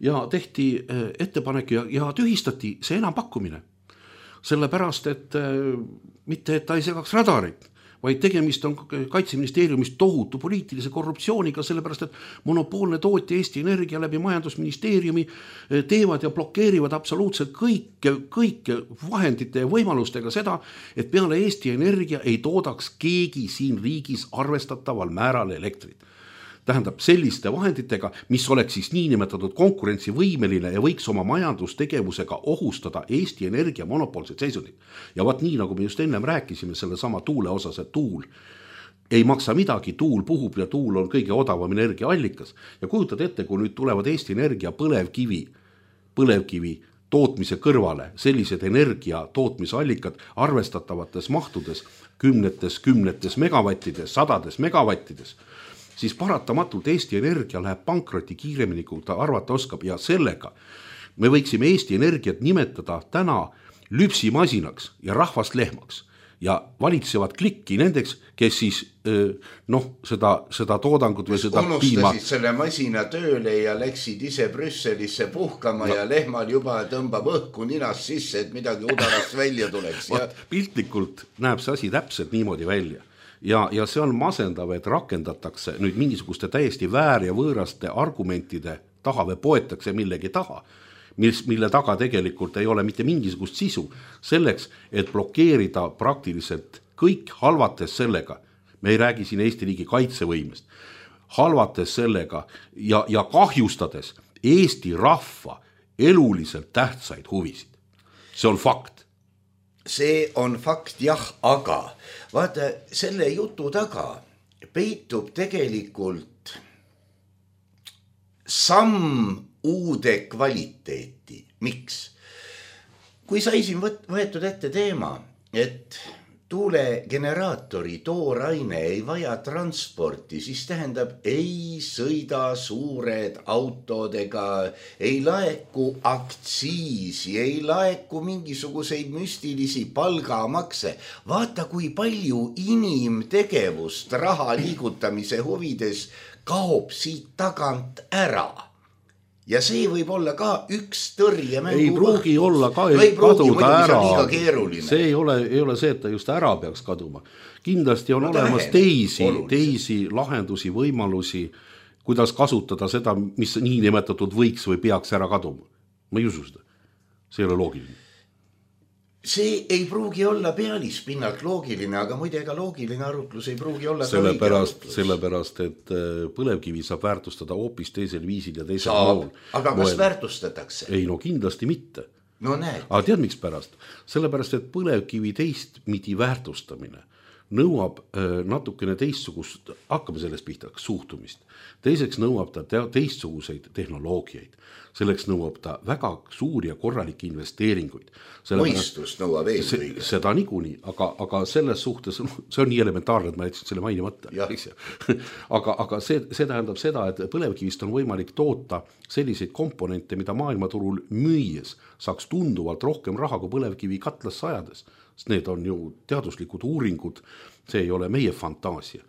ja tehti ettepanek ja, ja tühistati see enampakkumine. Sellepärast, et mitte, et ta ei segaks radarit, vaid tegemist on Kaitseministeeriumis tohutu poliitilise korruptsiooniga, sellepärast, et monopoolne tootja Eesti Energia läbi majandusministeeriumi teevad ja blokeerivad absoluutselt kõike, kõike vahendite ja võimalustega seda, et peale Eesti Energia ei toodaks keegi siin riigis arvestataval määral elektrit. Tähendab selliste vahenditega, mis oleks siis niinimetatud konkurentsivõimeline ja võiks oma majandustegevusega ohustada Eesti Energia monopoolset seisundit. Ja vaat nii, nagu me just ennem rääkisime selle sama tuule osas, et tuul ei maksa midagi, tuul puhub ja tuul on kõige odavam energiaallikas. Ja kujutad ette, kui nüüd tulevad Eesti Energia põlevkivi, põlevkivi tootmise kõrvale sellised energia tootmisallikad arvestatavates mahtudes, kümnetes, kümnetes megavattides, sadades megavattides, siis paratamatult Eesti Energia läheb pankroti kiiremini, kui ta arvata oskab ja sellega me võiksime Eesti Energiat nimetada täna lüpsimasinaks ja rahvast lehmaks. ja valitsevad klikki nendeks, kes siis noh, seda, seda toodangut või seda unustasid piima selle masina tööle ja läksid ise Brüsselisse puhkama no. ja lehmal juba tõmbab õhku ninast sisse, et midagi udarast välja tuleks. Ja... piltlikult näeb see asi täpselt niimoodi välja ja, ja see on masendav, et rakendatakse nüüd mingisuguste täiesti väär ja võõraste argumentide taha või poetakse millegi taha, Mis, mille taga tegelikult ei ole mitte mingisugust sisu selleks, et blokeerida praktiliselt kõik halvates sellega, me ei räägi siin Eesti riigi kaitsevõimest, halvates sellega ja, ja kahjustades Eesti rahva eluliselt tähtsaid huvisid. See on fakt. See on fakt, jah, aga vaata, selle jutu taga peitub tegelikult samm uude kvaliteeti. Miks? Kui sai siin võetud ette teema, et tuulegeneraatori tooraine ei vaja transporti, siis tähendab, ei sõida suured autodega, ei laeku aktsiisi, ei laeku mingisuguseid müstilisi palgamakse. Vaata, kui palju inimtegevust raha liigutamise huvides kaob siit tagant ära. Ja see võib olla ka üks tõrjemängu. Ei pruugi olla ka ei kaduda ära. See ei ole, ei ole see, et ta just ära peaks kaduma. Kindlasti on no, olemas teisi, teisi lahendusi, võimalusi, kuidas kasutada seda, mis nii nimetatud võiks või peaks ära kaduma. Ma ei usu seda. See ei ole loogiline. See ei pruugi olla pealispinnalt loogiline, aga muide ega loogiline arutlus ei pruugi olla sellepärast, sellepärast, et põlevkivi saab väärtustada hoopis teisel viisil ja teisel saab, mool. Aga kas väärtustatakse? Ei, no kindlasti mitte. No näed. Aga tead miks pärast? Sellepärast, et põlevkivi teistmidi väärtustamine nõuab natukene teistsugust, hakkame sellest pihta, suhtumist. Teiseks nõuab ta teistsuguseid tehnoloogiaid. Selleks nõuab ta väga suuri ja korralikke investeeringuid. Mõistust nõuab eelkõige. Seda niikuinii, aga, aga selles suhtes, see on nii elementaarne, et ma jätsin selle mainimata. aga, aga see, see tähendab seda, et põlevkivist on võimalik toota selliseid komponente, mida maailmaturul müües saaks tunduvalt rohkem raha kui põlevkivi katlas sajades. Need on ju teaduslikud uuringud, see ei ole meie fantaasia.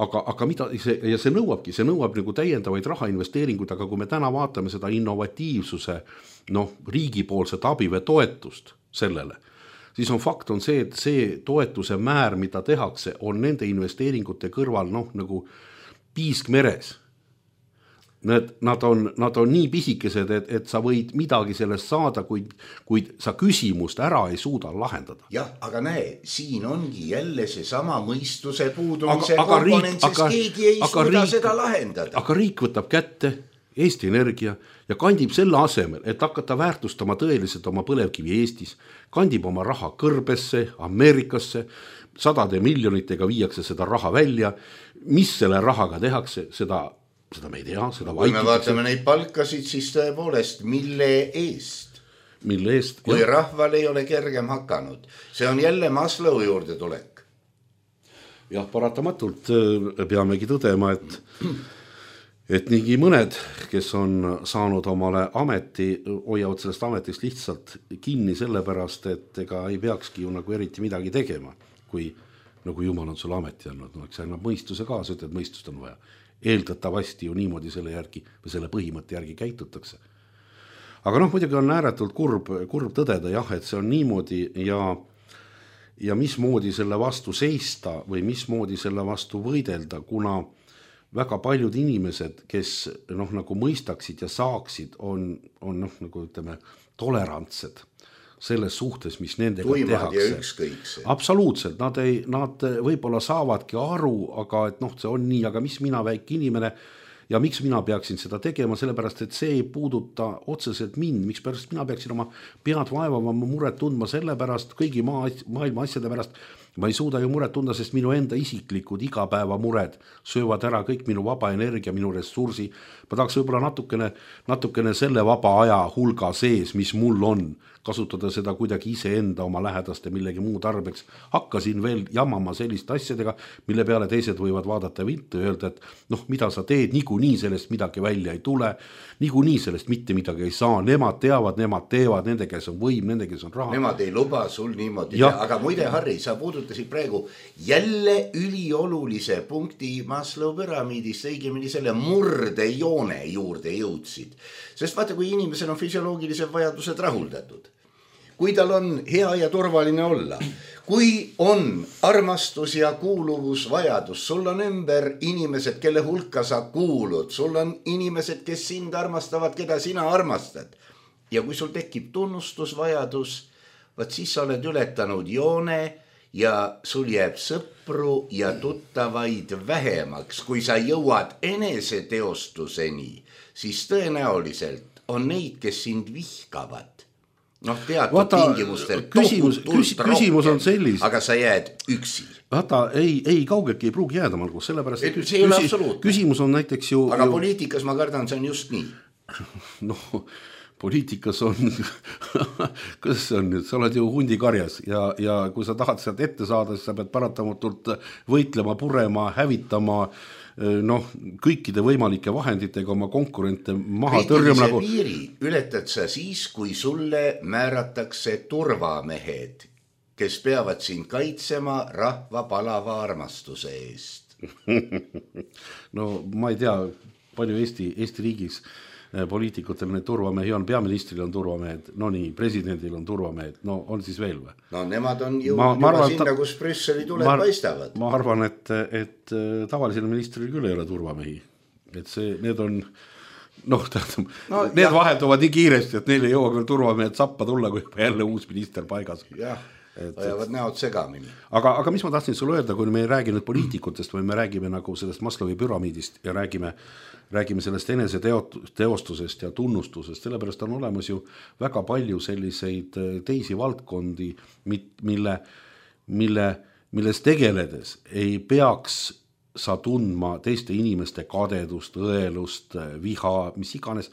Aga, aga mida see, ja see nõuabki, see nõuab nagu täiendavaid rahainvesteeringuid, aga kui me täna vaatame seda innovatiivsuse, noh, riigipoolset abi või toetust sellele, siis on fakt on see, et see toetuse määr, mida tehakse, on nende investeeringute kõrval, noh, nagu piisk meres. Need, nad, on, nad on nii pisikesed, et, et sa võid midagi sellest saada, kuid, kuid sa küsimust ära ei suuda lahendada. Jah, aga näe, siin ongi jälle see sama mõistuse puudumise aga, komponent, sest aga, keegi ei suuda riik, seda lahendada. Aga riik võtab kätte Eesti Energia ja kandib selle asemel, et hakata väärtustama tõeliselt oma põlevkivi Eestis, kandib oma raha kõrbesse, Ameerikasse, sadade miljonitega viiakse seda raha välja, mis selle rahaga tehakse, seda seda me ei tea, seda kui me vaatame neid palkasid, siis tõepoolest, mille eest? Mille eest? Kui jah. Rahval ei ole kergem hakanud. See on jälle Maslow juurde tulek. Jah, paratamatult peamegi tõdema, et, et niigi mõned, kes on saanud omale ameti, hoiavad sellest ametist lihtsalt kinni sellepärast, et ega ei peakski ju nagu eriti midagi tegema, kui nagu Jumal on sulle ameti andnud. No, eks annab mõistuse kaasa, et mõistust on vaja. Eeldatavasti ju niimoodi selle järgi või selle põhimõtte järgi käitutakse. Aga noh, muidugi on ääretult kurb, kurb tõdeda, jah, et see on niimoodi ja, ja mismoodi selle vastu seista või mismoodi selle vastu võidelda, kuna väga paljud inimesed, kes noh, nagu mõistaksid ja saaksid, on, on noh, nagu ütleme, tolerantsed selles suhtes, mis nendega tuimad tehakse. Absoluutselt, nad, ei, nad võib-olla saavadki aru, aga et noh, see on nii, aga mis mina väike inimene ja miks mina peaksin seda tegema, sellepärast, et see ei puuduta otseselt mind, miks pärast mina peaksin oma pead vaevama, muret tundma sellepärast, kõigi maa, maailma asjade pärast, ma ei suuda ju muret tunda, sest minu enda isiklikud igapäeva mured söövad ära kõik minu vaba energia, minu ressursi. Ma tahaks võib-olla natukene, natukene selle vaba aja hulga sees, mis mul on, kasutada seda kuidagi iseenda oma lähedaste millegi muu tarbeks. Hakkasin veel jamama selliste asjadega, mille peale teised võivad vaadata viltu ja öelda, et noh, mida sa teed, niikuinii sellest midagi välja ei tule, niikuinii sellest mitte midagi ei saa, nemad teavad, nemad teevad, nende kes on võim, nende kes on raha. Nemad ei luba sul niimoodi, aga muide, Harri, sa puudutad puudutasid praegu jälle üliolulise punkti Maslow püramiidist, õigemini selle murdejoone juurde jõudsid. Sest vaata, kui inimesel on füsioloogilised vajadused rahuldatud, kui tal on hea ja turvaline olla, kui on armastus ja kuuluvusvajadus, sul on ümber inimesed, kelle hulka sa kuulud, sul on inimesed, kes sind armastavad, keda sina armastad. Ja kui sul tekib tunnustusvajadus, vaat siis sa oled ületanud joone ja sul jääb sõpru ja tuttavaid vähemaks. Kui sa jõuad eneseteostuseni, siis tõenäoliselt on neid, kes sind vihkavad. Noh, teatud Vata, tingimustel küsimus, küs, küsimus on sellis. Aga sa jääd üksi. Vaata, ei, ei kaugeki ei pruugi jääda, Margus, sellepärast, et see ei ole absoluutne. Küsimus on näiteks ju... Aga ju... poliitikas ma kardan, see on just nii. Noh, poliitikas on, kuidas see on nüüd, sa oled ju hundikarjas ja, ja kui sa tahad sealt ette saada, siis sa pead paratamatult võitlema, purema, hävitama, noh, kõikide võimalike vahenditega oma konkurente maha tõrjuma. Nagu... piiri ületad sa siis, kui sulle määratakse turvamehed, kes peavad sind kaitsema rahva palava armastuse eest. No ma ei tea, palju Eesti, Eesti riigis poliitikutel need turvamehi on, peaministril on turvamehed, no nii, presidendil on turvamehed, no on siis veel või? No nemad on jõudnud ma, ma arvan, juba sinna, kus Brüsseli tuled ma, paistavad. Ma arvan, et, et tavalisel ministril küll ei ole turvamehi, et see, need on, noh, tähendab, no, need jah. Vahelduvad nii kiiresti, et neil ei jõua küll turvamehed sappa tulla, kui jälle uus minister paigas. Jah. Ajavad näod segamini. Aga, aga mis ma tahtsin sulle öelda, kui me ei räägi nüüd poliitikutest või me räägime nagu sellest Maslowi püramiidist ja räägime, räägime sellest enese teostusest ja tunnustusest, sellepärast on olemas ju väga palju selliseid teisi valdkondi, mille, mille, milles tegeledes ei peaks sa tundma teiste inimeste kadedust, õelust, viha, mis iganes,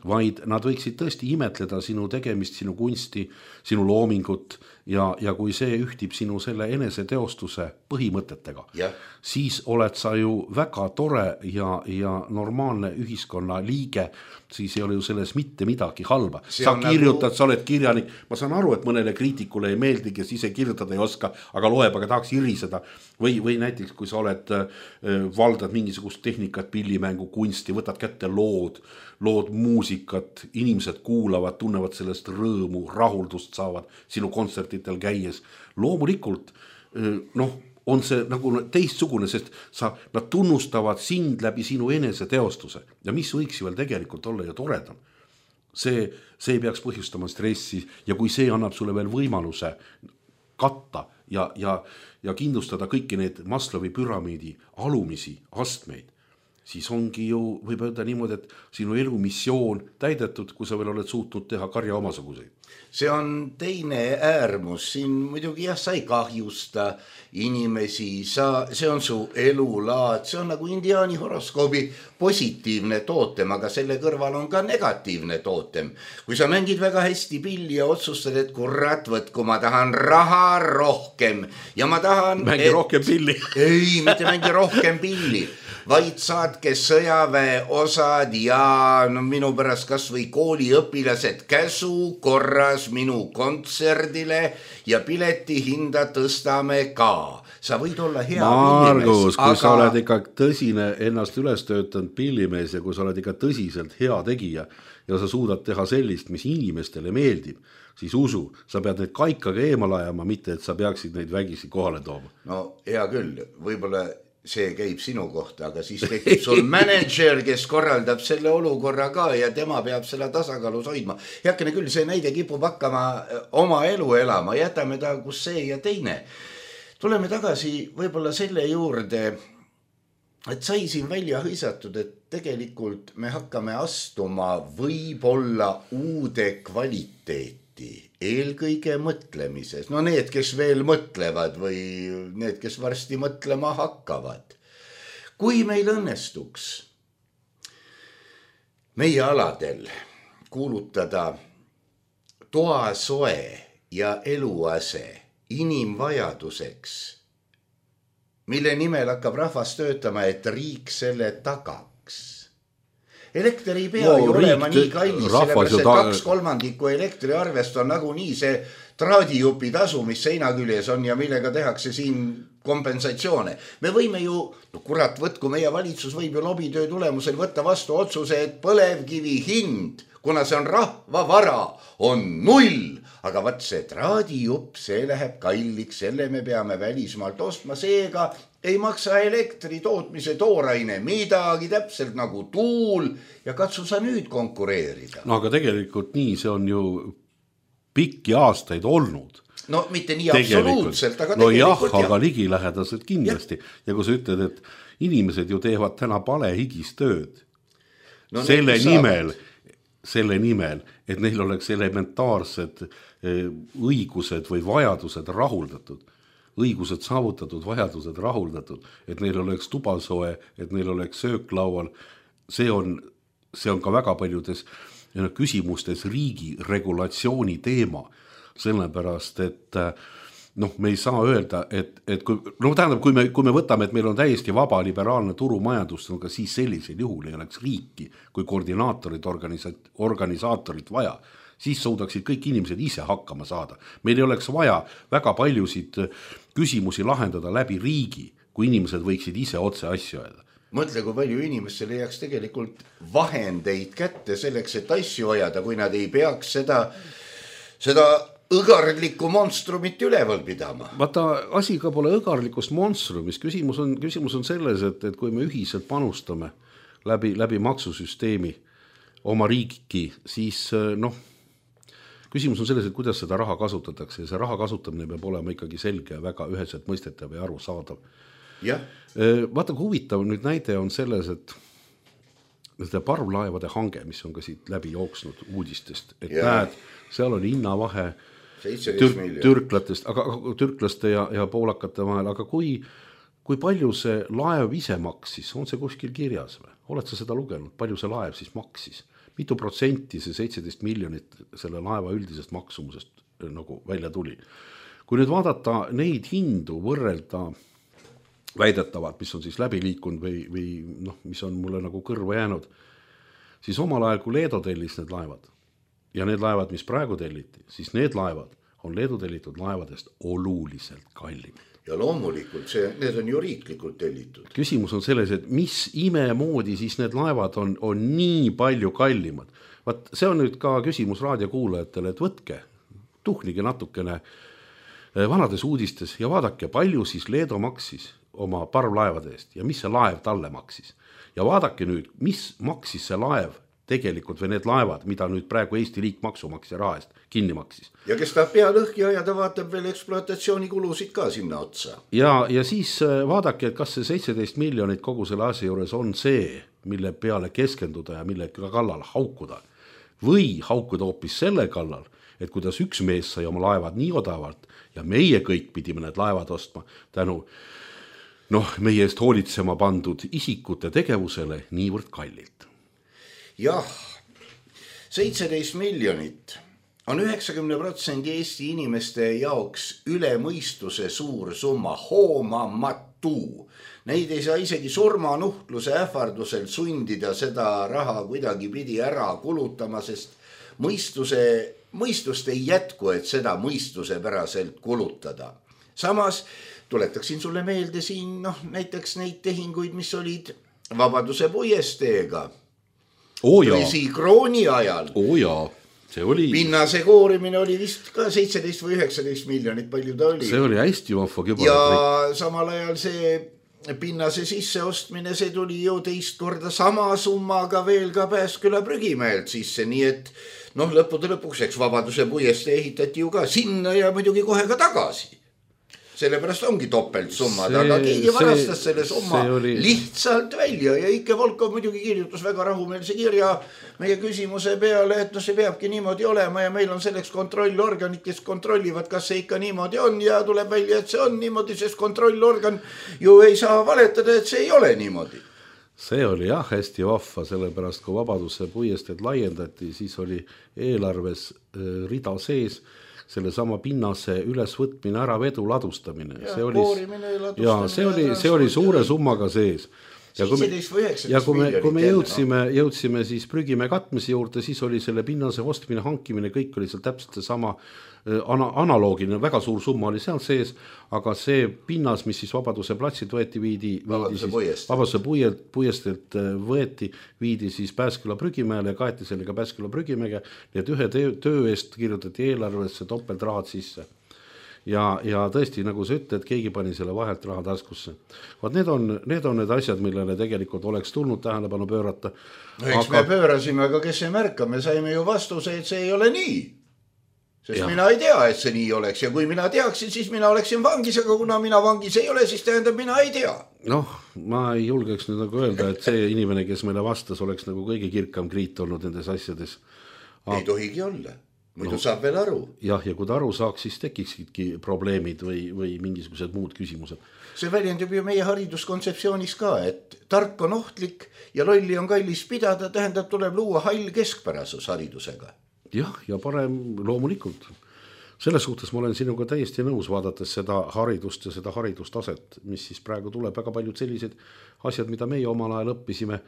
vaid nad võiksid tõesti imetleda sinu tegemist, sinu kunsti, sinu loomingut ja, ja kui see ühtib sinu selle eneseteostuse põhimõtetega, ja. Siis oled sa ju väga tore ja, ja normaalne ühiskonna liige, siis ei ole ju selles mitte midagi halba. Sa kirjutad, nagu... sa oled kirjanik, ma saan aru, et mõnele kriitikule ei meeldi, kes ise kirjutada ei oska, aga loeb, aga tahaks iriseda. Või, või näiteks, kui sa oled, valdad mingisugust tehnikat, pillimängu, kunsti, võtad kätte lood, lood muusikat, inimesed kuulavad, tunnevad sellest rõõmu, rahuldust saavad sinu kontsertitel käies. Loomulikult, noh, on see nagu teistsugune, sest sa, nad tunnustavad sind läbi sinu enese teostuse ja mis võiks ju veel tegelikult olla ja toredam. See, see ei peaks põhjustama stressi ja kui see annab sulle veel võimaluse katta ja, ja, ja kindlustada kõiki need Maslowi püramiidi alumisi astmeid, siis ongi ju, võib öelda niimoodi, et sinu elu missioon täidetud, kui sa veel oled suutnud teha karja omasuguseid. See on teine äärmus, siin muidugi jah, sa ei kahjusta inimesi, sa, see on su elulaad, see on nagu indiaani horoskoobi positiivne tootem, aga selle kõrval on ka negatiivne tootem. Kui sa mängid väga hästi pilli ja otsustad, et kurat, võt, kui ma tahan raha rohkem ja ma tahan... Mängi et... rohkem pilli. Ei, mitte mängi rohkem pilli. Vaid saatke sõjaväe osad ja no, minu pärast kas või kooliõpilased käsu korras minu kontserdile ja pileti hinda tõstame ka. Sa võid olla hea Margus, kui aga... sa oled ikka tõsine ennast üles töötanud pillimees ja kui sa oled ikka tõsiselt hea tegija ja sa suudad teha sellist, mis inimestele meeldib, siis usu, sa pead neid kaikaga eemal ajama, mitte et sa peaksid neid vägisi kohale tooma. No hea küll, võib-olla see käib sinu kohta, aga siis tekib sul manager, kes korraldab selle olukorra ka ja tema peab selle tasakaalus hoidma. Heakene küll, see näide kipub hakkama oma elu elama, jätame ta kus see ja teine. Tuleme tagasi võib-olla selle juurde, et sai siin välja hõisatud, et tegelikult me hakkame astuma võib-olla uude kvaliteeti. Eelkõige mõtlemises. No need, kes veel mõtlevad või need, kes varsti mõtlema hakkavad. Kui meil õnnestuks meie aladel kuulutada toasoe ja eluase inimvajaduseks, mille nimel hakkab rahvas töötama, et riik selle tagaks, elekter ei pea no, ju olema riik, nii kallis, sellepärast et ta... kaks kolmandikku elektriarvest on nagunii see traadijupi tasu, mis seina küljes on ja millega tehakse siin kompensatsioone. Me võime ju, no kurat, võtku meie valitsus võib ju lobitöö tulemusel võtta vastu otsuse, et põlevkivi hind, kuna see on rahvavara, on null. Aga vaat see traadijupp, see läheb kalliks, selle me peame välismaalt ostma, seega ei maksa elektri tootmise tooraine midagi, täpselt nagu tuul ja katsu sa nüüd konkureerida. No aga tegelikult nii, see on ju pikki aastaid olnud. No mitte nii absoluutselt, aga no tegelikult jah, aga ligilähedaselt kindlasti. Ja. ja kui sa ütled, et inimesed ju teevad täna pale higistööd no, selle nimel, selle nimel, et neil oleks elementaarsed õigused või vajadused rahuldatud, õigused saavutatud, vajadused rahuldatud, et neil oleks tubasoe, et neil oleks sööklaual. See on, see on ka väga paljudes küsimustes riigi regulatsiooni teema, sellepärast, et noh, me ei saa öelda, et, et kui, no tähendab, kui me, kui me võtame, et meil on täiesti vaba liberaalne turumajandus, aga siis sellisel juhul ei oleks riiki kui koordinaatorid, organisa- organisaatorid vaja, siis suudaksid kõik inimesed ise hakkama saada. Meil ei oleks vaja väga paljusid küsimusi lahendada läbi riigi, kui inimesed võiksid ise otse asju öelda. Mõtle, kui palju inimestel leiaks tegelikult vahendeid kätte selleks, et asju ajada, kui nad ei peaks seda, seda õgarlikku monstrumit üleval pidama. Vaata, asi ka pole õgarlikust monstrumis. Küsimus on, küsimus on selles, et, et kui me ühiselt panustame läbi, läbi maksusüsteemi oma riiki, siis noh, küsimus on selles, et kuidas seda raha kasutatakse ja see raha kasutamine peab olema ikkagi selge ja väga üheselt mõistetav ja aru saadav. Ja. Vaata, kui huvitav nüüd näide on selles, et seda parvlaevade hange, mis on ka siit läbi jooksnud uudistest, et ja. Näed, seal oli hinnavahe tür- türklatest, aga, türklaste ja, ja poolakate vahel, aga kui, kui palju see laev ise maksis, on see kuskil kirjas või? Oled sa seda lugenud, palju see laev siis maksis? Mitu protsenti see seitseteist miljonit selle laeva üldisest maksumusest nagu välja tuli. Kui nüüd vaadata neid hindu võrrelda väidetavad, mis on siis läbi liikunud või, või noh, mis on mulle nagu kõrva jäänud, siis omal ajal, kui Leedo tellis need laevad ja need laevad, mis praegu telliti, siis need laevad on Leedo tellitud laevadest oluliselt kallimad. Ja loomulikult, see, need on ju riiklikult tellitud. Küsimus on selles, et mis imemoodi siis need laevad on, on nii palju kallimad. Vaat see on nüüd ka küsimus raadiokuulajatele, et võtke, tuhnige natukene vanades uudistes ja vaadake, palju siis Leedo maksis oma parvlaevade eest ja mis see laev talle maksis. Ja vaadake nüüd, mis maksis see laev tegelikult või need laevad, mida nüüd praegu Eesti riik maksumaksja raha eest kinni maksis. Ja kes tahab pea lõhki ajada, vaatab veel ekspluatatsiooninkulusid ka sinna otsa. Ja, ja siis vaadake, et kas see seitseteist miljonit kogu selle asja juures on see, mille peale keskenduda ja mille kallal haukuda. Või haukuda hoopis selle kallal, et kuidas üks mees sai oma laevad nii odavalt ja meie kõik pidime need laevad ostma tänu noh, meie eest hoolitsema pandud isikute tegevusele niivõrd kallilt. Jah, seitseteist miljonit on üheksakümmend protsenti Eesti inimeste jaoks üle mõistuse suur summa, hoomamatu. Neid ei saa isegi surmanuhtluse ähvardusel sundida seda raha kuidagi pidi ära kulutama, sest mõistuse, mõistust ei jätku, et seda mõistuse päraselt kulutada. Samas tuletaksin sulle meelde siin noh, näiteks neid tehinguid, mis olid Vabaduse puiesteega. Oh Tõsi krooni ajal. Oh jaa, see oli... Pinnase koorimine oli vist ka seitseteist või üheksateist miljonit, palju ta oli. See oli hästi vahva küba. Ja samal ajal see pinnase sisseostmine, see tuli ju teist korda sama summaga veel ka Pääsküla prügimäelt sisse, nii et noh, lõppude lõpuks, eks Vabaduse puieste ehitati ju ka sinna ja muidugi kohe ka tagasi. Sellepärast ongi topelt summad, see, aga keegi varastas selle summa oli... lihtsalt välja ja Ike Volkov muidugi kirjutas väga rahumeelse kirja meie küsimuse peale, et no see peabki niimoodi olema ja meil on selleks kontrollorganid, kes kontrollivad, kas see ikka niimoodi on ja tuleb välja, et see on niimoodi, sest kontrollorgan ju ei saa valetada, et see ei ole niimoodi. See oli jah hästi vahva, sellepärast kui Vabaduse puiesteed laiendati, siis oli eelarves rida sees selle sama pinnase ülesvõtmine, ära vedu ladustamine. Ja, see oli, ja, see oli, see oli suure summaga sees. seitseteist või üheksateist ja kui me, kui me miljonit jõudsime, no. jõudsime siis prügimäe katmise juurde, siis oli selle pinnase ostmine, hankimine, kõik oli seal täpselt sama ana, analoogiline, väga suur summa oli seal sees, aga see pinnas, mis siis Vabaduse platsid võeti, viidi, viidi siis, Vabaduse puiestelt võeti, viidi siis Pääsküla prügimäele ja kaeti sellega Pääsküla prügimäge, nii et ühe töö, töö eest kirjutati eelarvesse topeltraad sisse. Ja, ja tõesti, nagu sa ütled, keegi pani selle vahelt raha taskusse. Vaat need on, need on need asjad, millele tegelikult oleks tulnud tähelepanu pöörata. No eks aga... me pöörasime, aga kes ei märka, me saime ju vastuse, et see ei ole nii. Sest ja. Mina ei tea, et see nii oleks ja kui mina teaksin, siis mina oleksin vangis, aga kuna mina vangis ei ole, siis tähendab, mina ei tea. Noh, ma ei julgeks nüüd nagu öelda, et see inimene, kes meile vastas, oleks nagu kõige kirkam kriit olnud nendes asjades. Ei tohigi olla. Muidu no, saab veel aru. Jah, ja kui ta aru saaks, siis tekiksidki probleemid või, või mingisugused muud küsimused. See väljendub ju meie hariduskontseptsioonis ka, et tark on ohtlik ja lolli on kallis pidada, tähendab, tuleb luua hall keskpärasus haridusega. Jah, ja parem loomulikult. Selles suhtes ma olen sinuga täiesti nõus vaadates seda haridust ja seda haridustaset, mis siis praegu tuleb väga paljud sellised asjad, mida meie omal ajal õppisime,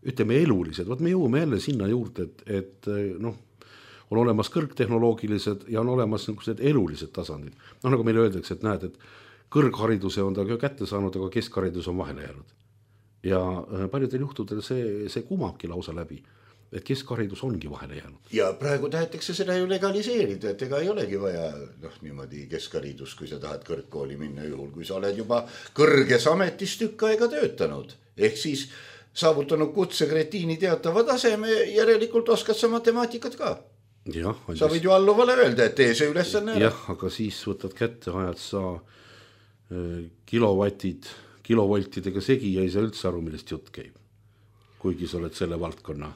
ütleme elulised. Võt me jõuame jälle sinna juurde, et, et noh, on olemas kõrgtehnoloogilised ja on olemas niisugused elulised tasandid. No nagu meile öeldakse, et näed, et kõrghariduse on ta kätte saanud, aga keskharidus on vahele jäänud. Ja paljudel juhtudel see, see kumabki lausa läbi, et keskharidus ongi vahele jäänud. Ja praegu tahetakse seda ju legaliseerida, et ega ei olegi vaja noh, niimoodi keskharidus, kui sa tahad kõrgkooli minna juhul, kui sa oled juba kõrges ametis tükk aega töötanud. Ehk siis saavutanud kutsekretiini teatava taseme, järelikult oskad sa matemaatikat ka. Ja, sa võid ju alluvale öelda, et tee see ülesanne ära. Jah, aga siis võtad kätte, ajad sa kilovatid, kilovoltidega segi ja ei saa üldse aru, millest jutt käib. Kuigi sa oled selle valdkonna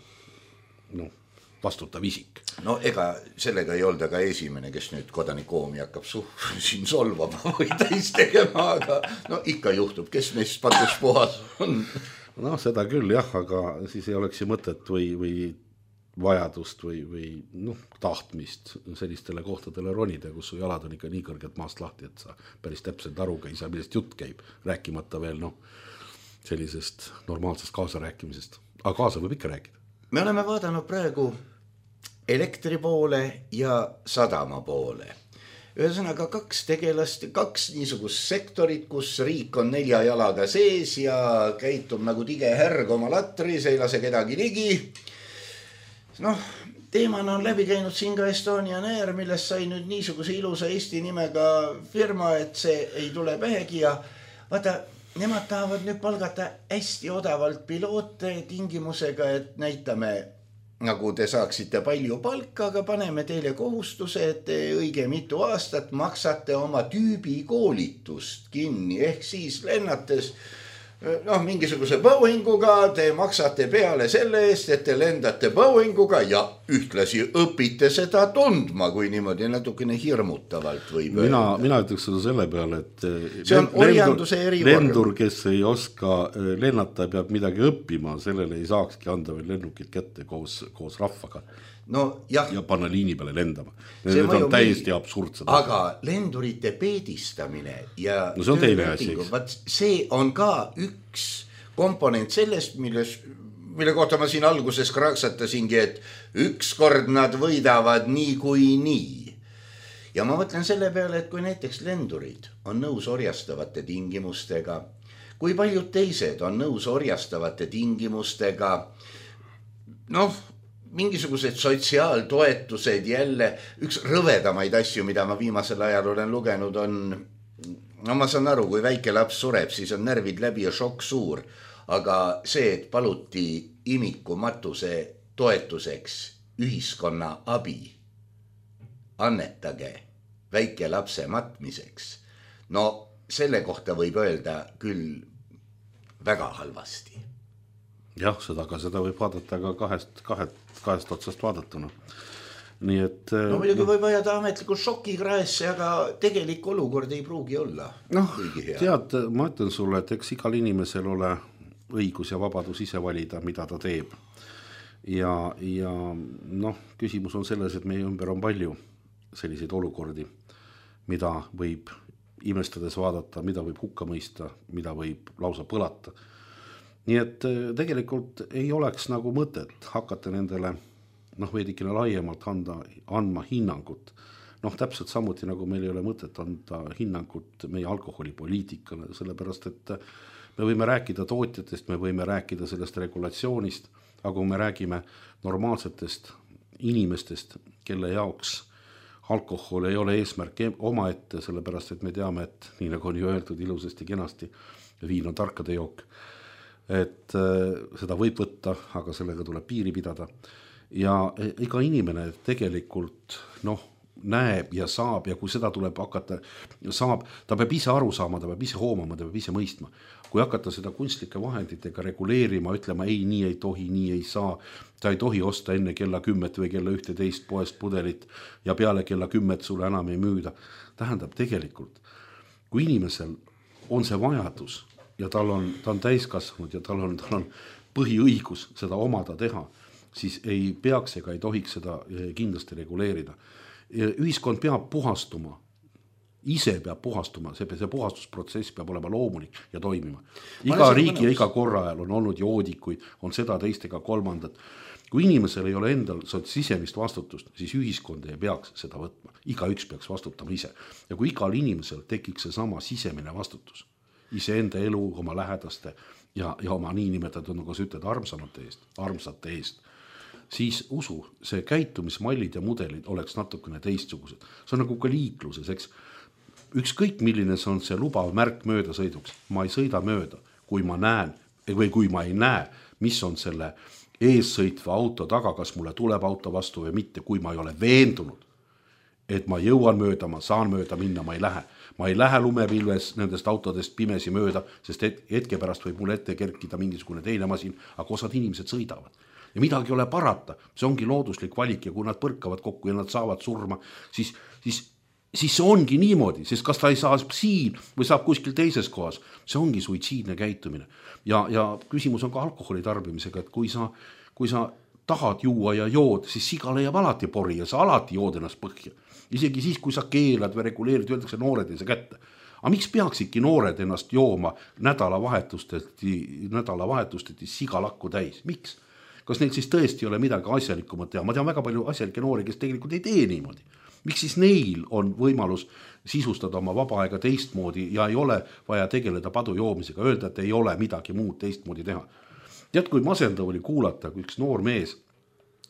no, vastutav isik. No ega sellega ei olda ka esimene, kes nüüd kodanikoomi hakkab suh, siin solvama või täis tegema, aga no ikka juhtub, kes meist patus puhas on. No seda küll jah, aga siis ei oleks ju mõtet või, või vajadust või, või noh, tahtmist sellistele kohtadele ronida, kus su jalad on ikka nii kõrgelt maast lahti, et sa päris täpselt aruga ei saa, millest jutt käib, rääkimata veel noh, sellisest normaalsest kaasarääkimisest. Aga kaasa võib ikka rääkida. Me oleme vaadanud praegu elektri poole ja sadama poole. Ühesõnaga kaks tegelast, kaks niisugust sektorit, kus riik on nelja jalaga sees ja käitub nagu tige härg oma latris, ei lase kedagi ligi. Noh, teemana on läbi käinud siin ka Estonian Air, millest sai nüüd niisuguse ilusa Eesti nimega firma, et see ei tule pähegi ja vaata, nemad tahavad nüüd palgata hästi odavalt piloote tingimusega, et näitame, nagu te saaksite palju palka, aga paneme teile kohustuse, et te õige mitu aastat maksate oma tüübi koolitust kinni, ehk siis lennates noh, mingisuguse Boeinguga te maksate peale selle eest, et te lendate Boeinguga ja ühtlasi õpite seda tundma, kui niimoodi natukene hirmutavalt võib mina, mina ütleks seda selle peale, et see on orjanduse erivorm. Lendur, kes ei oska lennata, peab midagi õppima, sellele ei saakski anda veel lennukit kätte koos, koos rahvaga. No, jah. Ja panna liini peale lendama. Need on täiesti absurdsed. Aga lendurite peedistamine ja no see on teine asi. See on ka üks komponent sellest, milles, mille kohta ma siin alguses kraksatasingi, et ükskord nad võidavad nii kui nii. Ja ma mõtlen selle peale, et kui näiteks lendurid on nõus orjastavate tingimustega, kui paljud teised on nõus orjastavate tingimustega, noh, mingisugused sotsiaaltoetused jälle, üks rõvedamaid asju, mida ma viimasel ajal olen lugenud, on, no ma saan aru, kui väike laps sureb, siis on närvid läbi ja šokk suur, aga see, et paluti imiku matuse toetuseks ühiskonna abi, annetage väike lapse matmiseks, no selle kohta võib öelda küll väga halvasti. Jah, seda, aga seda võib vaadata ka kahest, kahest, kahest otsast vaadatuna. Nii et... No muidugi võib ajada ametliku šoki kraesse, aga tegelik olukord ei pruugi olla. Noh, tead, ma ütlen sulle, et eks igal inimesel ole õigus ja vabadus ise valida, mida ta teeb. Ja, ja noh, küsimus on selles, et meie ümber on palju selliseid olukordi, mida võib imestades vaadata, mida võib hukka mõista, mida võib lausa põlata. nii et tegelikult ei oleks nagu mõtet hakata nendele noh, veidikene laiemalt anda, andma hinnangut. Noh, täpselt samuti nagu meil ei ole mõtet anda hinnangut meie alkoholipoliitikale, sellepärast et me võime rääkida tootjatest, me võime rääkida sellest regulatsioonist, aga kui me räägime normaalsetest inimestest, kelle jaoks alkohol ei ole eesmärk omaette, sellepärast et me teame, et nii nagu on ju öeldud ilusasti kenasti, viin on tarkade jook, et seda võib võtta, aga sellega tuleb piiri pidada. Ja iga inimene tegelikult noh, näeb ja saab ja kui seda tuleb hakata, saab, ta peab ise aru saama, ta peab ise hoomama, ta peab ise mõistma. Kui hakata seda kunstlike vahenditega reguleerima, ütlema ei, nii ei tohi, nii ei saa, ta ei tohi osta enne kella kümmet või kella ühteteist poest pudelit ja peale kella kümmet sulle enam ei müüda. Tähendab tegelikult, kui inimesel on see vajadus ja tal on, ta on täiskasvanud ja tal on, tal on põhiõigus seda omada teha, siis ei peaks ega ei tohiks seda kindlasti reguleerida. Ühiskond peab puhastuma, ise peab puhastuma, see, see puhastusprotsess peab olema loomulik ja toimima. Iga riigi ja iga korra ajal on olnud joodikuid, on seda teist ega kolmandat. Kui inimesel ei ole endal sisemist vastutust, siis ühiskond ei peaks seda võtma. Iga üks peaks vastutama ise. Ja kui igal inimesel tekiks see sama sisemine vastutus, ise enda elu, oma lähedaste ja, ja oma niinimetatud, nagu sa ütled, armsamate eest, armsate eest, siis usu, see käitumismallid ja mudelid oleks natukene teistsugused. See on nagu ka liikluses, eks. Ükskõik milline see on see lubav märk mööda sõiduks. Ma ei sõida mööda, kui ma näen või kui ma ei näe, mis on selle eessõitva auto taga, kas mulle tuleb auto vastu või mitte, kui ma ei ole veendunud, et ma jõuan mööda, ma saan mööda minna, ma ei lähe. Ma ei lähe lumepilves nendest autodest pimesi mööda, sest hetke pärast võib mulle ette kerkida mingisugune teine masin, aga osad inimesed sõidavad. Ja midagi ei ole parata, see ongi looduslik valik ja kui nad põrkavad kokku ja nad saavad surma, siis, siis, siis see ongi niimoodi, sest kas ta ei saa siin või saab kuskil teises kohas, see ongi suitsiidne käitumine. Ja, ja küsimus on ka alkoholi tarbimisega, et kui sa, kui sa tahad juua ja jood, siis siga leiab alati pori ja sa alati jood ennast põhja. Isegi siis, kui sa keelad või reguleerid, öeldakse noored ei saa kätte. Aga miks peaksidki noored ennast jooma nädalavahetusteti, nädalavahetusteti sigalakku täis? Miks? Kas neil siis tõesti ei ole midagi asjalikumat teha? Ma tean väga palju asjalikke noori, kes tegelikult ei tee niimoodi. Miks siis neil on võimalus sisustada oma vaba aega teistmoodi ja ei ole vaja tegeleda padu joomisega, öelda, et ei ole midagi muud teistmoodi teha. Tead, kui masendav oli kuulata, kui üks noor mees,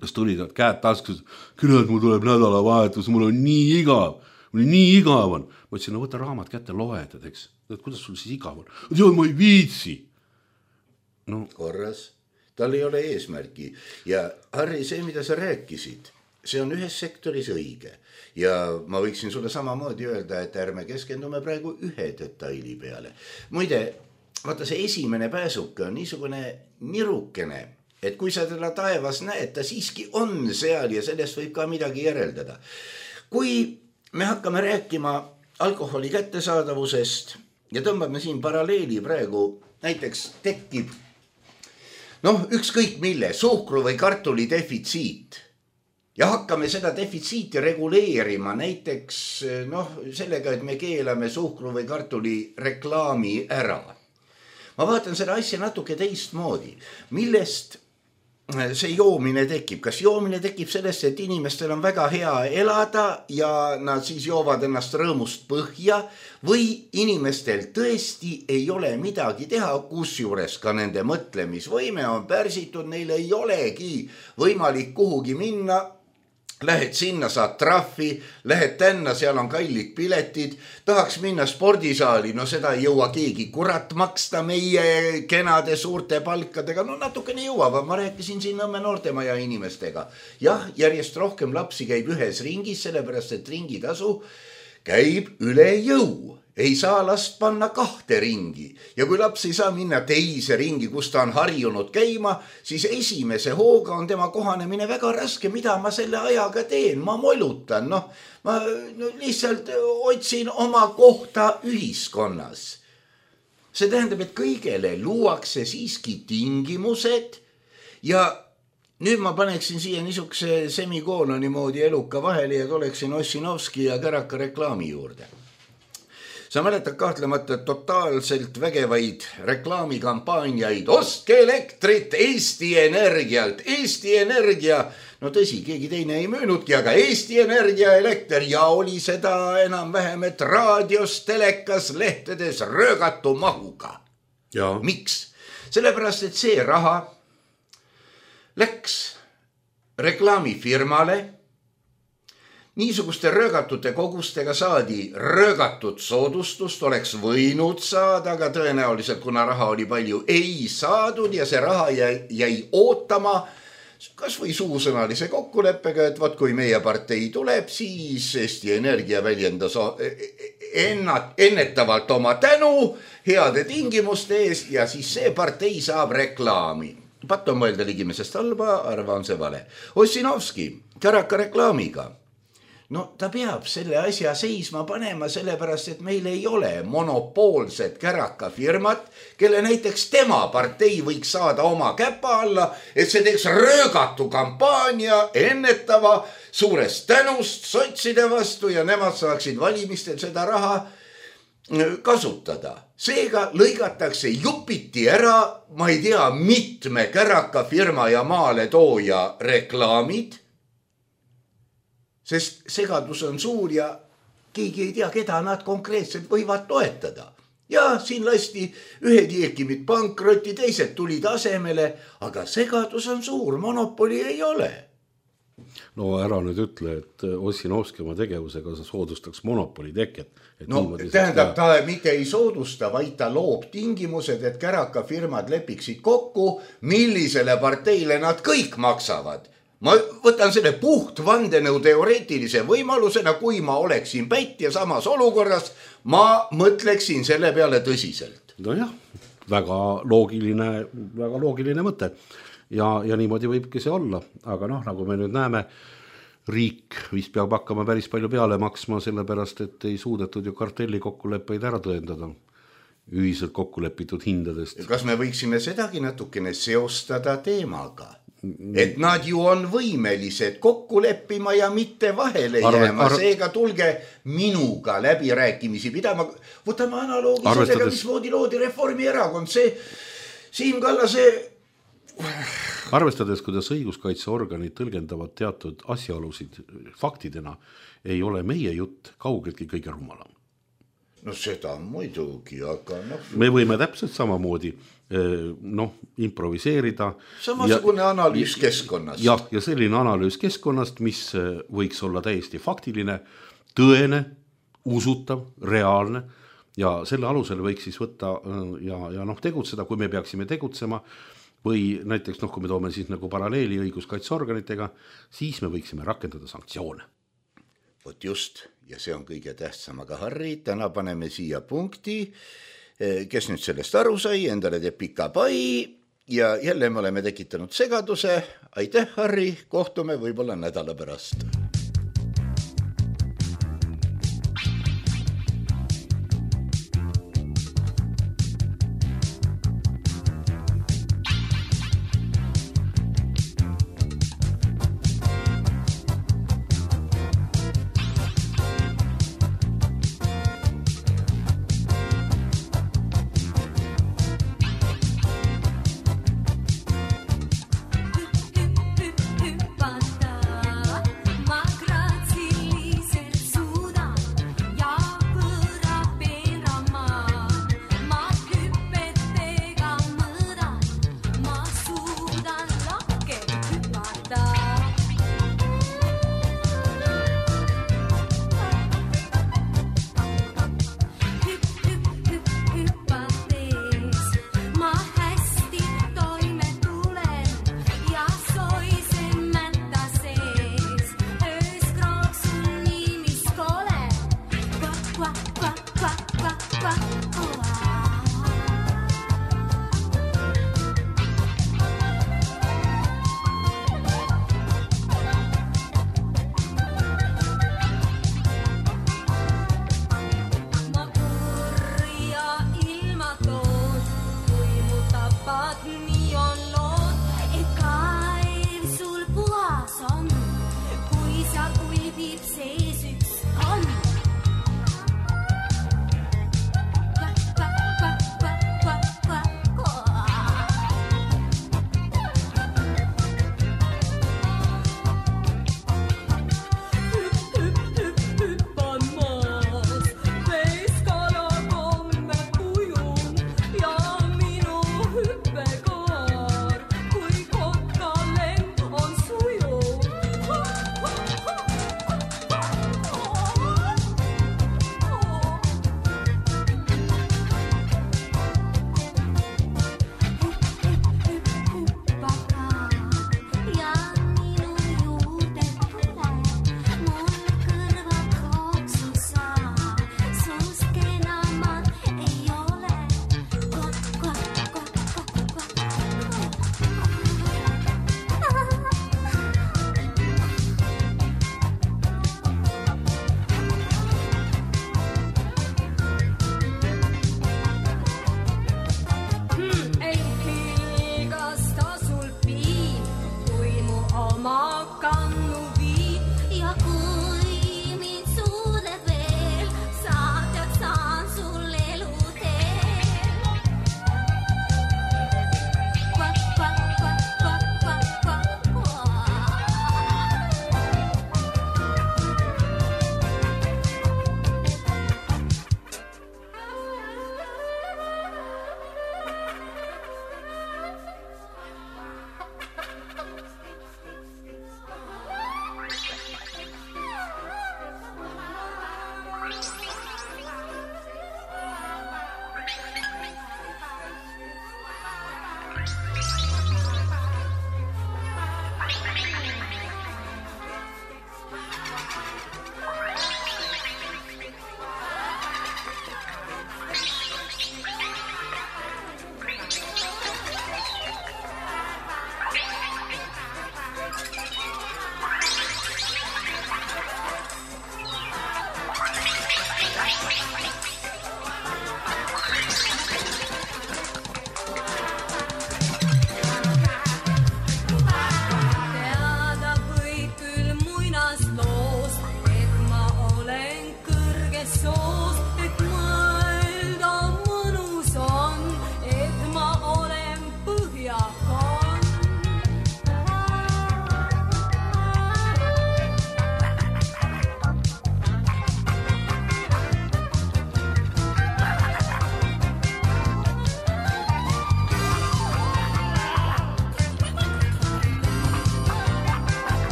kes tulid käed taskus, küllalt mul tuleb nädalavahetus, mul on nii igav, mul on nii igav on. Ma ütlesin, no võta raamat kätte, loed, eks, kuidas sul siis igav on? Tead, ma ei viitsi. No. Korras, tal ei ole eesmärgi ja Harri, see, mida sa rääkisid, see on ühes sektoris õige ja ma võiksin sulle samamoodi öelda, et ärme keskendume praegu ühe detaili peale. Muide, vaata see esimene pääsuke on niisugune nirukene, et kui sa teda taevas näed, ta siiski on seal ja sellest võib ka midagi järeldada. Kui me hakkame rääkima alkoholi kättesaadavusest ja tõmbame siin paralleeli praegu, näiteks tekib noh, ükskõik mille, suhkru või kartuli defitsiit ja hakkame seda defitsiiti reguleerima näiteks noh, sellega, et me keelame suhkru või kartuli reklaami ära. Ma vaatan seda asja natuke teistmoodi, millest see joomine tekib. Kas joomine tekib sellest, et inimestel on väga hea elada ja nad siis joovad ennast rõõmust põhja või inimestel tõesti ei ole midagi teha, kusjuures ka nende mõtlemisvõime on pärsitud, neil ei olegi võimalik kuhugi minna. Lähed sinna, saad trahvi, lähed tänna, seal on kallid piletid, tahaks minna spordisaali, no seda ei jõua keegi kurat maksta meie kenade suurte palkadega, no natukene jõuavad, ma rääkisin siin Nõmme noortemaja inimestega. Jah, järjest rohkem lapsi käib ühes ringis, sellepärast et ringitasu käib üle jõu. Ei saa last panna kahte ringi ja kui laps ei saa minna teise ringi, kus ta on harjunud käima, siis esimese hooga on tema kohanemine väga raske, mida ma selle ajaga teen, ma molutan, noh, ma no, lihtsalt otsin oma kohta ühiskonnas. See tähendab, et kõigele luuakse siiski tingimused ja nüüd ma paneksin siia niisuguse semikooloni moodi eluka vahele ja tuleksin Ossinovski ja Käraka reklaami juurde. sa mäletad kahtlemata totaalselt vägevaid reklaamikampaaniaid, ostke elektrit Eesti Energialt, Eesti Energia, no tõsi, keegi teine ei möönudki, aga Eesti Energia elekter ja oli seda enam-vähem, et raadios, telekas, lehtedes röögatu mahuga. Ja. Miks? Sellepärast, et see raha läks reklaamifirmale, niisuguste röögatute kogustega saadi röögatud soodustust, oleks võinud saada, aga tõenäoliselt, kuna raha oli palju, ei saadud ja see raha jäi, jäi ootama kas või suusõnalise kokkuleppega, et vaat kui meie partei tuleb, siis Eesti Energia väljendas ennat, ennetavalt oma tänu heade tingimuste ees ja siis see partei saab reklaami. Pat on mõelda ligimesest halba, arva on see vale. Ossinovski, Käraka reklaamiga. No ta peab selle asja seisma panema sellepärast, et meil ei ole monopoolset Käraka firmat, kelle näiteks tema partei võiks saada oma käpa alla, et see teeks röögatu kampaania ennetava suurest tänust sotside vastu ja nemad saaksid valimistel seda raha kasutada. Seega lõigatakse jupiti ära, ma ei tea, mitme Käraka firma ja maale tooja reklaamid, sest segadus on suur ja keegi ei tea, keda nad konkreetselt võivad toetada. Ja siin lasti ühed jeekimid pankrotti, teised tulid asemele, aga segadus on suur, monopoli ei ole. No ära nüüd ütle, et Ossinovski oma tegevusega soodustaks monopoli teket. Et no tähendab, ta mitte ei soodusta, vaid ta loob tingimused, et Käraka firmad lepiksid kokku, millisele parteile nad kõik maksavad. Ma võtan selle puht vandenõu teoreetilise võimalusena, kui ma oleksin pätt ja samas olukorras, ma mõtleksin selle peale tõsiselt. No jah, väga loogiline, väga loogiline mõte. Ja, ja niimoodi võibki see olla. Aga noh, nagu me nüüd näeme, riik vist peab hakkama päris palju peale maksma, sellepärast, et ei suudetud ju kartelli kokkuleppeid ära tõendada ühiselt kokkulepitud hindadest. Kas me võiksime sedagi natukene seostada teemaga? Et nad ju on võimelised kokku leppima ja mitte vahele jääma, arv... seega tulge minuga läbirääkimisi pidama. Võtame analoogi Arvestades... sellega, mis moodi loodi Reformierakond, see Siim Kallase... Arvestades, kuidas õiguskaitseorganid tõlgendavad teatud asjaolusid faktidena, ei ole meie jutt kaugeltki kõige rumalam. No seda muidugi, aga noh... Me võime täpselt samamoodi noh, improviseerida. Samasugune ja, analüüs keskkonnast. Ja, ja selline analüüs keskkonnast, mis võiks olla täiesti faktiline, tõene, usutav, reaalne ja selle alusel võiks siis võtta ja, ja noh, tegutseda, kui me peaksime tegutsema või näiteks noh, kui me toome siis nagu paralleeli õiguskaitseorganitega, siis me võiksime rakendada sanktsioone. Vot just, ja see on kõige tähtsam, aga Harri, täna paneme siia punkti. Kes nüüd sellest aru sai, endale teeb pika pai ja jälle me oleme tekitanud segaduse. Aitäh, Harri, kohtume võib-olla nädala pärast.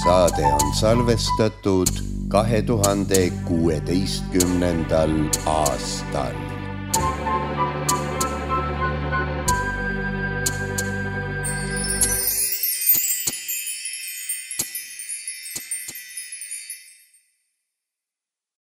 saade on salvestatud kahe tuhande kuueteistkümnendal aastal.